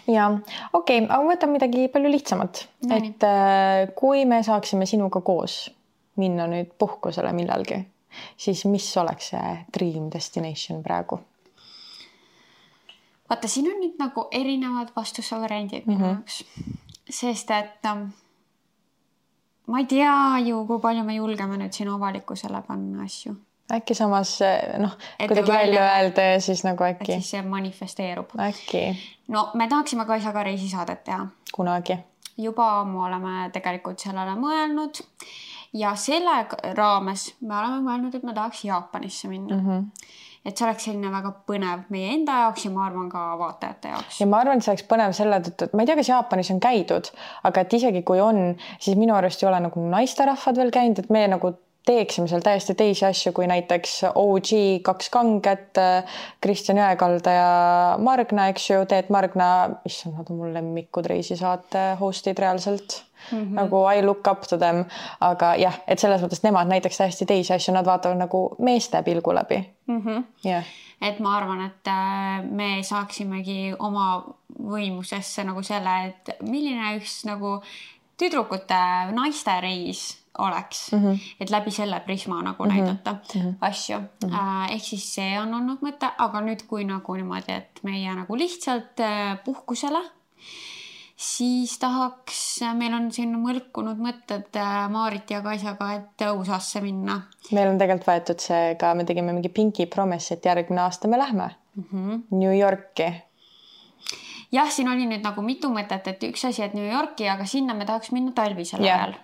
Ja, okei, okay, aga võtan midagi palju lihtsamat. No, et nii. Kui me saaksime sinuga koos minna nüüd puhkusele millalgi, siis mis oleks see dream destination praegu? Vaata, siin on nüüd nagu erinevad vastusevariandid mm-hmm. sest et ma ei tea ju, kui palju me julgeme nüüd siin avalikkusele panna asju. Äkki samas, noh, kuidagi välja öelda ja siis nagu äkki. Et siis see manifesteerub. Äkki. No, me tahaksime ka isaga reisisaadet teha. Kunagi. Juba ammu oleme tegelikult sellele mõelnud ja selle raames me oleme mõelnud, et me tahaks Jaapanisse minna. Mm-hmm. Et see oleks selline väga põnev meie enda jaoks ja ma arvan ka vaatajate jaoks. Ja ma arvan, et see oleks põnev selle tõttu, et ma ei tea, kas Jaapanis on käidud, aga et isegi kui on, siis minu arust ei ole nagu naisterahvad veel käinud, et me nagu teeksime seal täiesti teisi asju kui näiteks O G kaks kanget, Kristjan Jõekalda ja Margna, eks ju, Teet Margna, issand, nad on mul lemmikud reisisaate hostid reaalselt. Mm-hmm. Nagu I look up to them, aga jah, et selles mõttes nemad näiteks täiesti teisi asju, nad vaatavad nagu meeste pilgu läbi. Mm-hmm. Yeah. Et ma arvan, et me saaksimegi oma võimusesse nagu selle, et milline üks nagu tüdrukute naiste reis oleks, mm-hmm. et läbi selle prisma nagu mm-hmm. näidata mm-hmm. asju. Mm-hmm. Ehk siis see on olnud mõte, aga nüüd kui nagu niimoodi, et meie nagu lihtsalt puhkusele, siis tahaks, meil on siin mõlkunud mõtted Maarit ja Kaisaga, et U S A-sse minna. Meil on tegelikult võetud see ka, me tegime mingi pinki promise, et järgmine aasta me lähme mm-hmm. New Yorki. Jah, siin oli nüüd nagu mitu mõtet, et üks asi, et New Yorki, aga sinna me tahaks minna talvisel yeah. ajal.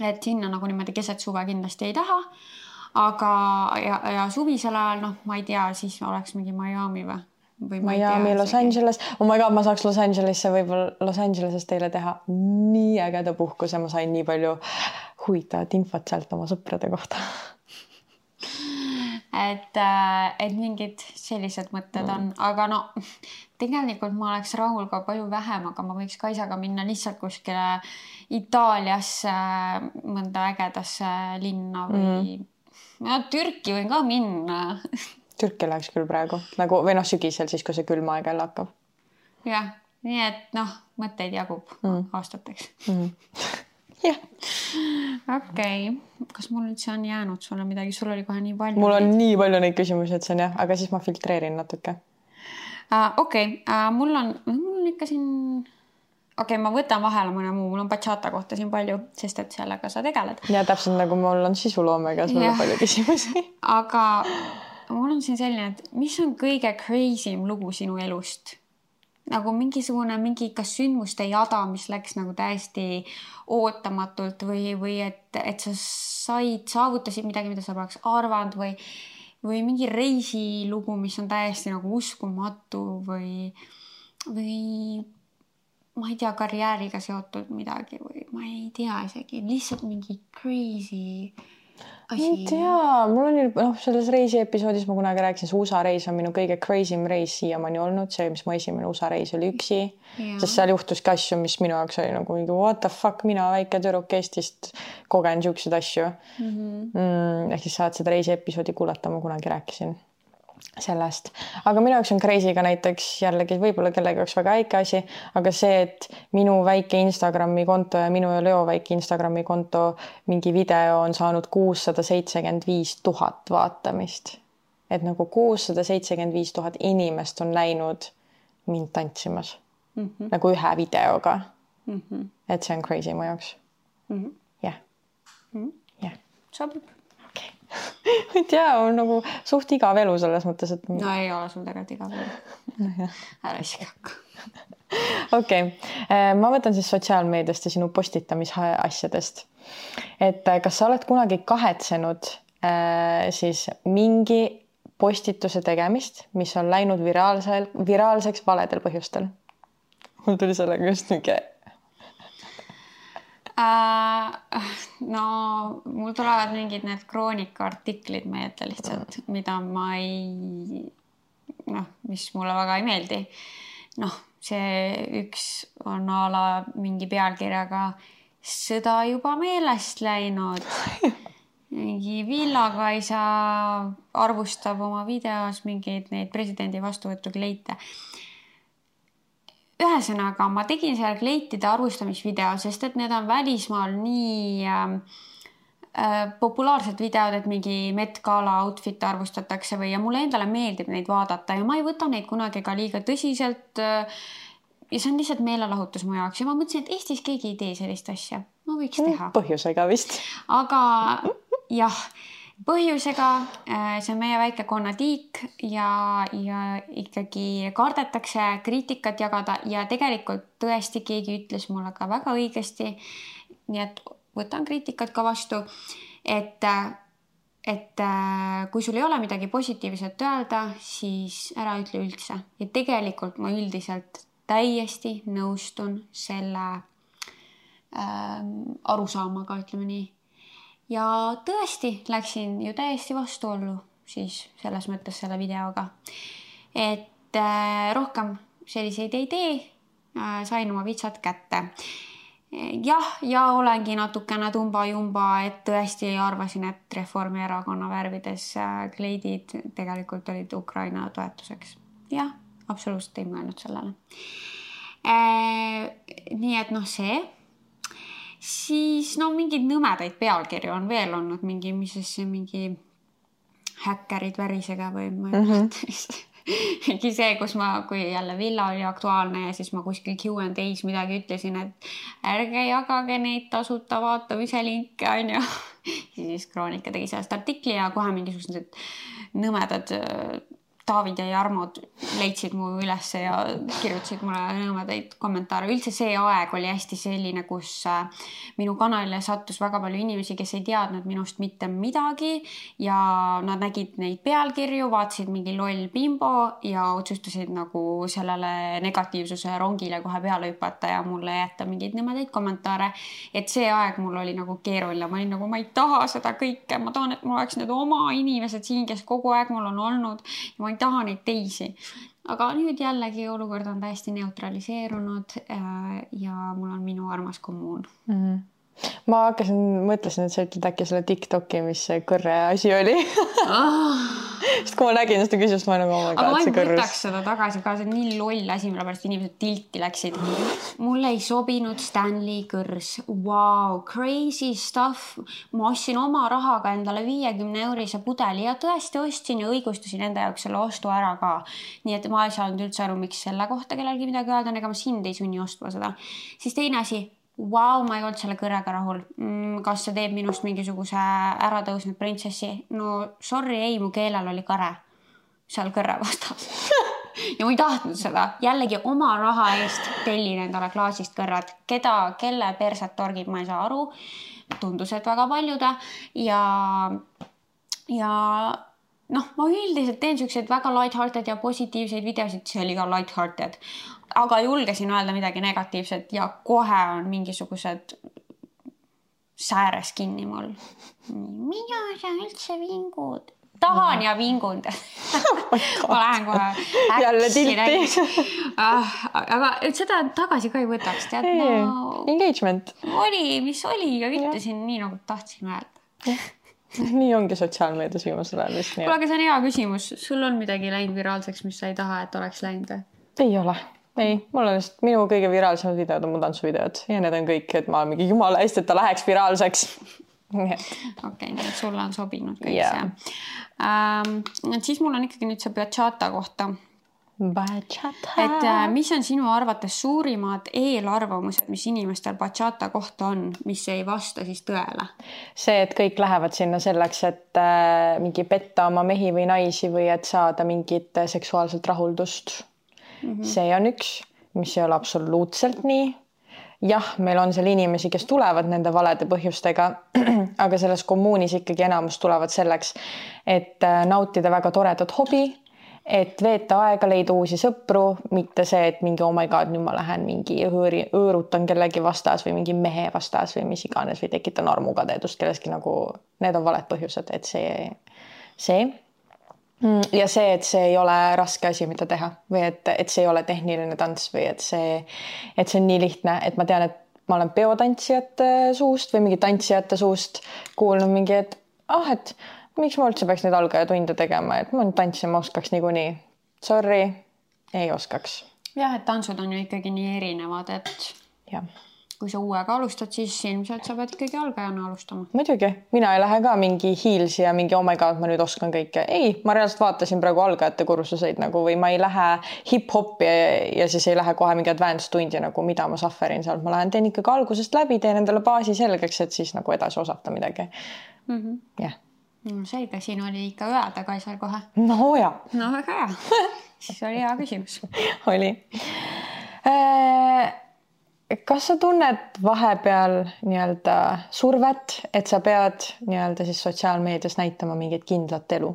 Et sinna nagu niimoodi keset suve kindlasti ei taha, aga ja, ja suvisel ajal, noh, ma ei tea, siis oleks mingi Miami või? Miami, Los Angeles, oh my god, ma saaks Los Angelesse võib-olla Los Angeleses teile teha nii ägeda puhkuse, ma sain nii palju huvitavat infot sealt oma sõprade kohta. Et, et mingid sellised mõtted on, aga no tegelikult ma oleks rahul ka palju vähem, aga ma võiks Kaisaga minna lihtsalt kuskile Itaaliasse, mõnda ägedasse linna või mm. no, Türki võin ka minna. Türki läheks küll praegu, nagu, või noh, sügisel siis, kui see külma aeg jälle hakkab. Jah, nii et noh, mõtteid jagub mm. aastateks. Mm. jah. Okei, okay. Kas mul üldse on jäänud sulle midagi? Sul oli kohe nii palju. Mul on neid. nii palju neid küsimusi, et see on jah, aga siis ma filtreerin natuke. Uh, Okei, okay. uh, mul on, mul on ikka siin... Okei, okay, ma võtan vahele mõne muu, mul on bachata kohta siin palju, sest et sellega sa tegeled. Ja täpselt nagu mul on sisuloomega, sul on palju küsimusi. Aga... mul on siin selline, et mis on kõige crazy'm lugu sinu elust? Nagu mingisugune, mingi kas sündmuste jada, mis läks nagu täiesti ootamatult või, või et, et sa said, saavutasid midagi, mida sa poleks arvanud või, või mingi reisilugu, mis on täiesti nagu uskumatu või, või ma ei tea, karjääriga seotud midagi või ma ei tea isegi, lihtsalt mingi crazy... Asi. Ei tea, mul on noh, selles reisi episoodis ma kunagi rääkisin, see U S A reis on minu kõige crazy'm reis siiamaani olnud, see, mis mu esimene U S A reis oli üksi, ja. Sest seal juhtuski asju, mis minu jaoks oli nagu what the fuck, mina väike tüdruk Eestist kogen siukseid asju. Mm-hmm. Mm, ehk siis saad seda reisi episoodi kuulata, ma kunagi rääkisin sellest. Aga minu jaoks on crazy ka näiteks jällegi võib-olla kellegi jaoks väga väike asi, aga see, et minu väike Instagrami konto ja minu ja Leo väike Instagrami konto mingi video on saanud kuussada seitsekümmend viis tuhat vaatamist. Et nagu kuussada seitsekümmend viis tuhat inimest on näinud mind tantsimas. Mm-hmm. Nagu ühe videoga. Mm-hmm. Et see on crazy mu jaoks. Mm-hmm. Yeah. Mm-hmm. Yeah. Sobib. Ma ei tea, on nagu suht igav elu selles mõttes, et... No ei ole sul tegelikult igav elu. Ära isegi hakka. Okei, ma võtan siis sotsiaalmeediast ja sinu postitamisasjadest. Et kas sa oled kunagi kahetsenud siis mingi postituse tegemist, mis on läinud viraalsel, viraalseks valedel põhjustel? Mul tuli sellega just mingi... Uh, no mul tulevad mingid need kroonika artiklid meelde lihtsalt, mida ma ei, noh, mis mulle väga ei meeldi. Noh, see üks on a la mingi pealkirjaga sõda juba meelest läinud. Mingi Villakaisa arvustab oma videos mingeid neid presidendi vastuvõttu kleite. Ühesõnaga, ma tegin seal kleitide arvustamisvideo, sest et need on välismaal nii äh, populaarsed videod, et mingi Met Gala outfit arvustatakse või ja mulle endale meeldib neid vaadata ja ma ei võta neid kunagi ka liiga tõsiselt äh, ja see on lihtsalt meelelahutus mu jaoks ja ma mõtlesin, et Eestis keegi ei tee sellist asja. Ma võiks teha. Põhjusega vist. Aga jah, põhjusega, see on meie väike konnatiik ja, ja ikkagi kardetakse kriitikat jagada ja tegelikult tõesti keegi ütles mulle ka väga õigesti, nii et võtan kriitikat ka vastu, et, et kui sul ei ole midagi positiivset öelda, siis ära ütle üldse. Ja tegelikult ma üldiselt täiesti nõustun selle äh, arusaamaga, ütleme nii. ja tõesti läksin ju täiesti vastuollu siis selles mõttes selle videoga, et äh, rohkem selliseid ei tee, äh, sain oma vitsad kätte. Jah, ja olengi natukene tumba-jumba, et tõesti arvasin, et Reformierakonna värvides äh, kleidid tegelikult olid Ukraina toetuseks. Jah, absoluutselt ei mõelnud sellele. Äh, nii et noh see, siis no mingid nõmedaid pealkirju on veel olnud, mingi, mis see mingi häkkerid värisega või ma ei mõelda vist. Mingi see, kus ma, kui jälle Villa oli aktuaalne ja siis ma kuskil Q and A's midagi ütlesin, et ärge jagage neid tasuta vaatamise linke, on ju. Siis Kroonika tegi sellest artikli ja kohe mingisugused nõmedad David ja Jarmod leidsid mu ülesse ja kirjutasid mulle nõmedaid kommentaare. Üldse see aeg oli hästi selline, kus minu kanalile sattus väga palju inimesi, kes ei teadnud minust mitte midagi ja nad nägid neid pealkirju, vaatasid mingi loll bimbo ja otsustasid nagu sellele negatiivsuse rongile kohe peale hüpata ja mulle jätta mingeid nõmedaid kommentaare. Et see aeg mul oli nagu keeruline. Ma olin nagu, ma ei taha seda kõike. Ma tahan, et mul oleks need oma inimesed siin, kes kogu aeg mul on olnud ja ma ei taha neid teisi. Aga nüüd jällegi olukord on täiesti neutraliseerunud ja mul on minu armas kommuun. Mm-hmm. Ma hakkasin, mõtlesin, et sa ütled äkki selle TikToki, mis see kõrre asi oli. Ah. Sest kui ma nägin seda küsimust, ma nagu oma aga ma ei võtaks seda tagasi ka, see on nii loll asi, mille pärast inimesed tilti läksid. Mulle ei sobinud Stanley kõrs. Wow, crazy stuff. Ma ostsin oma rahaga endale viiekümne eurise pudeli ja tõesti ostsin ja õigustasin enda jaoks selle ostu ära ka. Nii et ma ei saanud üldse aru, miks selle kohta kellelgi midagi öelda, ega ma sind ei sunni ostma seda. Siis teine asi, wow, ma ei olnud selle kõrega rahul. Kas see teeb minust mingisuguse äratõusnud printsessi? No sorry, ei, mu keelel oli kare seal kõrre vastas. Ja ma ei tahtnud seda. Jällegi oma raha eest tellin endale klaasist kõrrad. Keda, kelle perset torgib, ma ei saa aru. Tundus, et väga paljude. Ja, ja noh, ma üldiselt teen selliseid väga lighthearted ja positiivseid videosid. See oli ka lighthearted. Aga julgesin öelda midagi negatiivset ja kohe on mingisugused sääres kinni mul. Mida sa üldse vingud? Tahan ja vingun. Ma lähen kohe jälle tilti. Aga seda tagasi ka ei võtaks. Tead, no, engagement. Oli, mis oli ja ütlesin ja. Nii nagu tahtsin öelda. Nii ongi sotsiaalmeedias viimasel ajal. Kuule, aga see on hea küsimus. Sul on midagi läinud viraalseks, mis sa ei taha, et oleks läinud? Ei ole. Ei, mul on just minu kõige viraalsemad videod on mu tantsuvideod ja need on kõik, et ma mingi jumala hästi, et ta läheks viraalseks. Okei, okay, nii et sulle on sobinud kõik yeah. see. Ähm, et siis mul on ikkagi nüüd see bachata kohta. Bachata. Et äh, mis on sinu arvates suurimad eelarvamused, mis inimestel bachata kohta on, mis ei vasta siis tõele? See, et kõik lähevad sinna selleks, et äh, mingi petta oma mehi või naisi või et saada mingit seksuaalselt rahuldust. Mm-hmm. See on üks, mis ei ole absoluutselt nii. Jah, meil on seal inimesi, kes tulevad nende valede põhjustega, aga selles kommuunis ikkagi enamus tulevad selleks, et nautida väga toredat hobi, et veeta aega, leida uusi sõpru, mitte see, et mingi oh my god, nüüd ma lähen mingi õõri, õõrutan kellegi vastas või mingi mehe vastas või mis iganes või tekitan armukadedust kelleski nagu, need on valed põhjused, et see, see. Ja see, et see ei ole raske asi, mida teha või et, et see ei ole tehniline tants või et see, et see on nii lihtne, et ma tean, et ma olen peotantsijate suust või mingi tantsijate suust kuulnud mingi, et ah, et miks ma üldse peaks neid algajatunde tegema, et ma tantsima oskaks niikuinii. Sorry, ei oskaks. Jah, et tantsud on ju ikkagi nii erinevad, et jah. Kui sa uuega alustad, siis ilmselt sa pead ikkagi algajana alustama. Muidugi, mina ei lähe ka mingi hiilsi ja mingi oh my god, ma nüüd oskan kõike. Ei, ma reaalselt vaatasin praegu algajate kursuseid nagu, või ma ei lähe hip-hopi ja, ja siis ei lähe kohe mingi advanced tundi nagu, mida ma sufferin seal. Ma lähen teen ikkagi algusest läbi, teen endale baasi selgeks, et siis nagu edasi osata midagi. Mm-hmm. Yeah. No, selge, siin oli ikka ööda ka seal kohe. No ja. No väga hea. Siis oli hea küsimus. oli. Äh... Kas sa tunned vahepeal nii-öelda survet, et sa pead nii-öelda siis sotsiaalmeedias näitama mingit kindlat elu?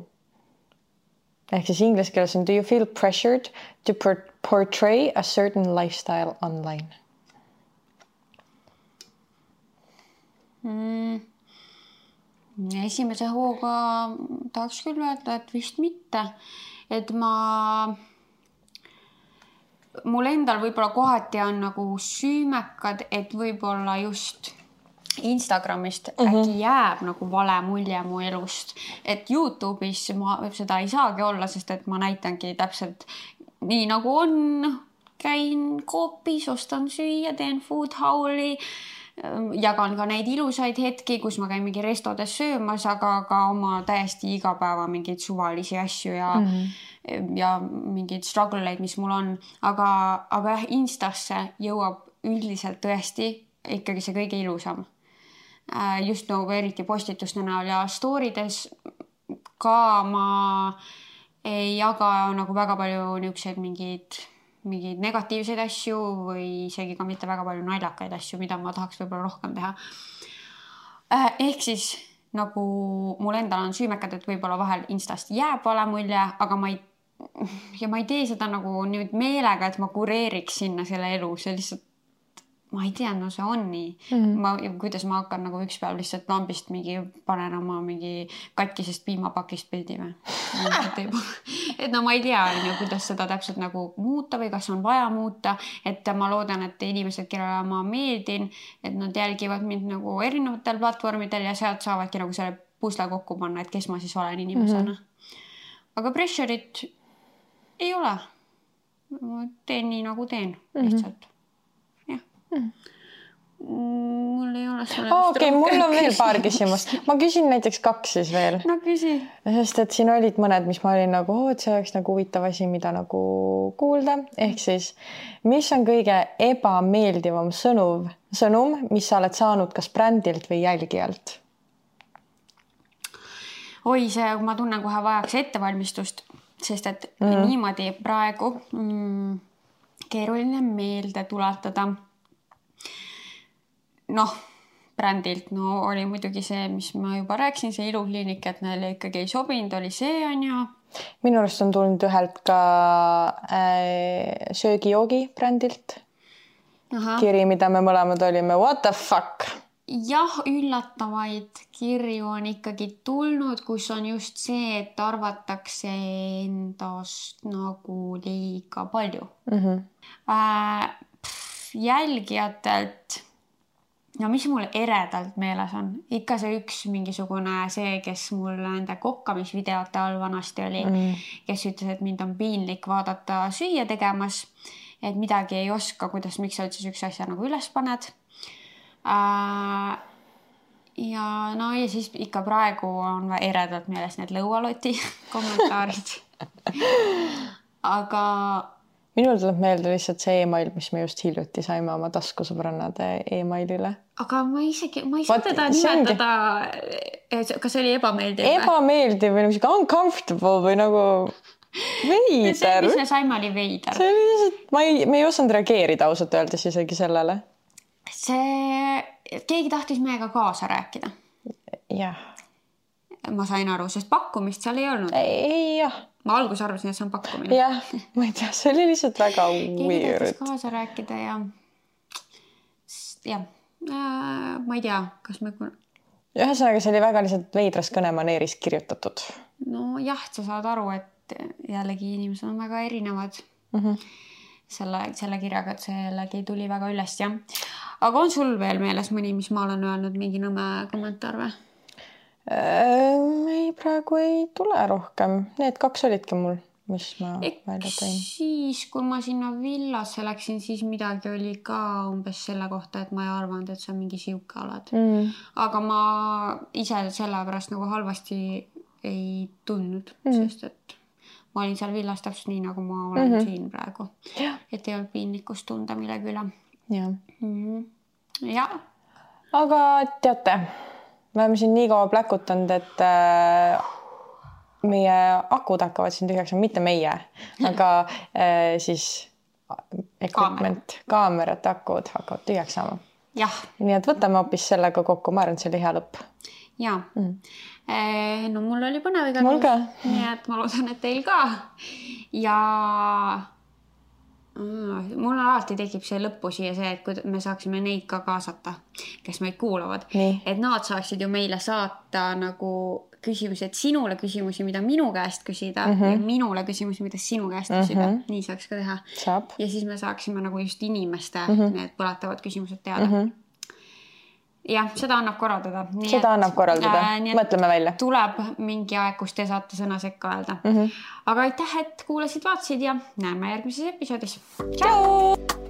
Ehk siis inglise keeles on do you feel pressured to portray a certain lifestyle online? Mm. esimese hooga tahaks küll öelda, et vist mitte. Et ma, mul endal võib-olla kohati on nagu süümekad, et võib-olla just Instagramist mm-hmm. äkki jääb nagu vale mulje mu elust. Et YouTube'is ma seda ei saagi olla, sest et ma näitangi täpselt nii nagu on. Käin koopis, ostan süüa, teen food hauli. Jagan ka neid ilusaid hetki, kus ma käin mingi restodes söömas, aga ka oma täiesti igapäeva mingeid suvalisi asju ja, mm-hmm. ja mingeid struggle'eid, mis mul on. Aga, aga jah, Instasse jõuab üldiselt tõesti ikkagi see kõige ilusam. Just nagu eriti postituste näol ja storydes ka ma ei jaga nagu väga palju niisuguseid mingeid mingeid negatiivseid asju või isegi ka mitte väga palju naljakaid asju, mida ma tahaks võib-olla rohkem teha. Ehk siis nagu mul endal on süümekad, et võib-olla vahel Instast jääb vale mulje, aga ma ei, ja ma ei tee seda nagu nüüd meelega, et ma kureeriks sinna selle elu, see lihtsalt ma ei tea, no see on nii. Mm-hmm. Ma, kuidas ma hakkan nagu üks päev lihtsalt lambist mingi panen oma mingi katkisest piimapakist pildi või. Et no ma ei tea, kuidas seda täpselt nagu muuta või kas on vaja muuta. Et ma loodan, et inimesed, kellele ma meeldin, et nad jälgivad mind nagu erinevatel platvormidel ja sealt saavadki nagu selle pusle kokku panna, et kes ma siis olen inimesena. Mm-hmm. Aga pressure'it ei ole. Ma teen nii nagu teen lihtsalt. Mm-hmm. Hmm. Mul ei ole selle oh, okay, mul on veel paar küsimust. Ma küsin näiteks kaks siis veel. No küsi. Sest et siin olid mõned, mis ma olin nagu, et see oleks nagu huvitav asi, mida nagu kuulda. Ehk siis, mis on kõige ebameeldivam sõnum, sõnum, mis sa oled saanud kas brändilt või jälgijalt? Oi, see, ma tunnen kohe vajaks ettevalmistust, sest et mm. niimoodi praegu mm, keeruline meelde tuletada. Noh, brändilt, no oli muidugi see, mis ma juba rääksin, see ilukliinik, et neile ikkagi ei sobinud, oli see on ja... Minu arust on tulnud ühelt ka äh, söögi-joogi brändilt. Aha. Kiri, mida me mõlemad olime, what the fuck? Jah, üllatavaid kirju on ikkagi tulnud, kus on just see, et arvatakse endast nagu liiga palju. Mm-hmm. Äh, pff, jälgijatelt... No mis mul eredalt meeles on? Ikka see üks mingisugune see, kes mul nende kokkamisvideote all vanasti oli, mm. kes ütles, et mind on piinlik vaadata süüa tegemas, et midagi ei oska, kuidas, miks sa üldse üks asja nagu üles paned. Äh, ja no ja siis ikka praegu on eredalt meeles need lõualoti kommentaarid. Aga... Minul tuleb meelde lihtsalt see e-mail, mis me just hiljuti saime oma taskusõbrannade e-mailile. Aga ma isegi, ma ei saa teda nimetada, kas see oli ebameeldiv? Ebameeldiv või nagu uncomfortable või nagu veider. See, mis me saime, oli veider. See oli lihtsalt, ma ei, me ei osanud reageerida ausalt öeldes isegi sellele. See, keegi tahtis meiega kaasa rääkida. Jah. Ma sain aru, sest pakkumist seal ei olnud. Ei, jah. Ma algus arvasin, et see on pakkumine. Jah, ma ei tea, see oli lihtsalt väga keegi weird. Keegi tahtis kaasa rääkida ja... jah, ma ei tea, kas me... Ühesõnaga, see oli väga lihtsalt veidras kõnemaneeris kirjutatud. No jah, sa saad aru, et jällegi inimesed on väga erinevad mm-hmm. selle, selle kirjaga, et see jällegi tuli väga üles, jah. Aga on sul veel meeles mõni, mis ma olen öelnud mingi nõme kommentaar või? Ei, praegu ei tule rohkem. Need kaks olidki mul, mis ma välja tõin. Siis, kui ma sinna villasse läksin, siis midagi oli ka umbes selle kohta, et ma ei arvanud, et sa mingi siuke oled. Mm. Aga ma ise selle pärast nagu halvasti ei tundnud, mm. sest et ma olin seal villas täpselt nii, nagu ma olen mm-hmm. siin praegu. Ja. Et ei olnud piinlikkust tunda millegi üle. Ja. Mm-hmm. Ja. Aga teate... Me oleme siin nii kaua pläkutanud, et äh, meie akud hakkavad siin tühjaks, mitte meie, aga äh, siis equipment, kaamerad, akud hakkavad tühjaks saama. Jah. Nii et võtame hoopis sellega kokku, ma arvan, et see oli hea lõpp. Jaa. Mm. Eh, no mul oli põnev igal mul ka. Nii et ma loodan, et teil ka. Ja mul alati tekib see lõppu siia see, et kui me saaksime neid ka kaasata, kes meid kuulavad. Nii. Et nad saaksid ju meile saata nagu küsimusi, et sinule küsimusi, mida minu käest küsida mm -hmm. ja minule küsimusi, mida sinu käest küsida. Mm -hmm. Nii saaks ka teha. Saab. Ja siis me saaksime nagu just inimeste mm -hmm. need põletavad küsimused teada. Mm -hmm. Jah, seda annab korraldada. Nii seda et, annab korraldada. Äh, Mõtleme välja. Tuleb mingi aeg, kus te saate sõna sekka öelda. Mm -hmm. Aga aitäh, et kuulasid, vaatasid ja näeme järgmises episoodis. Tšau!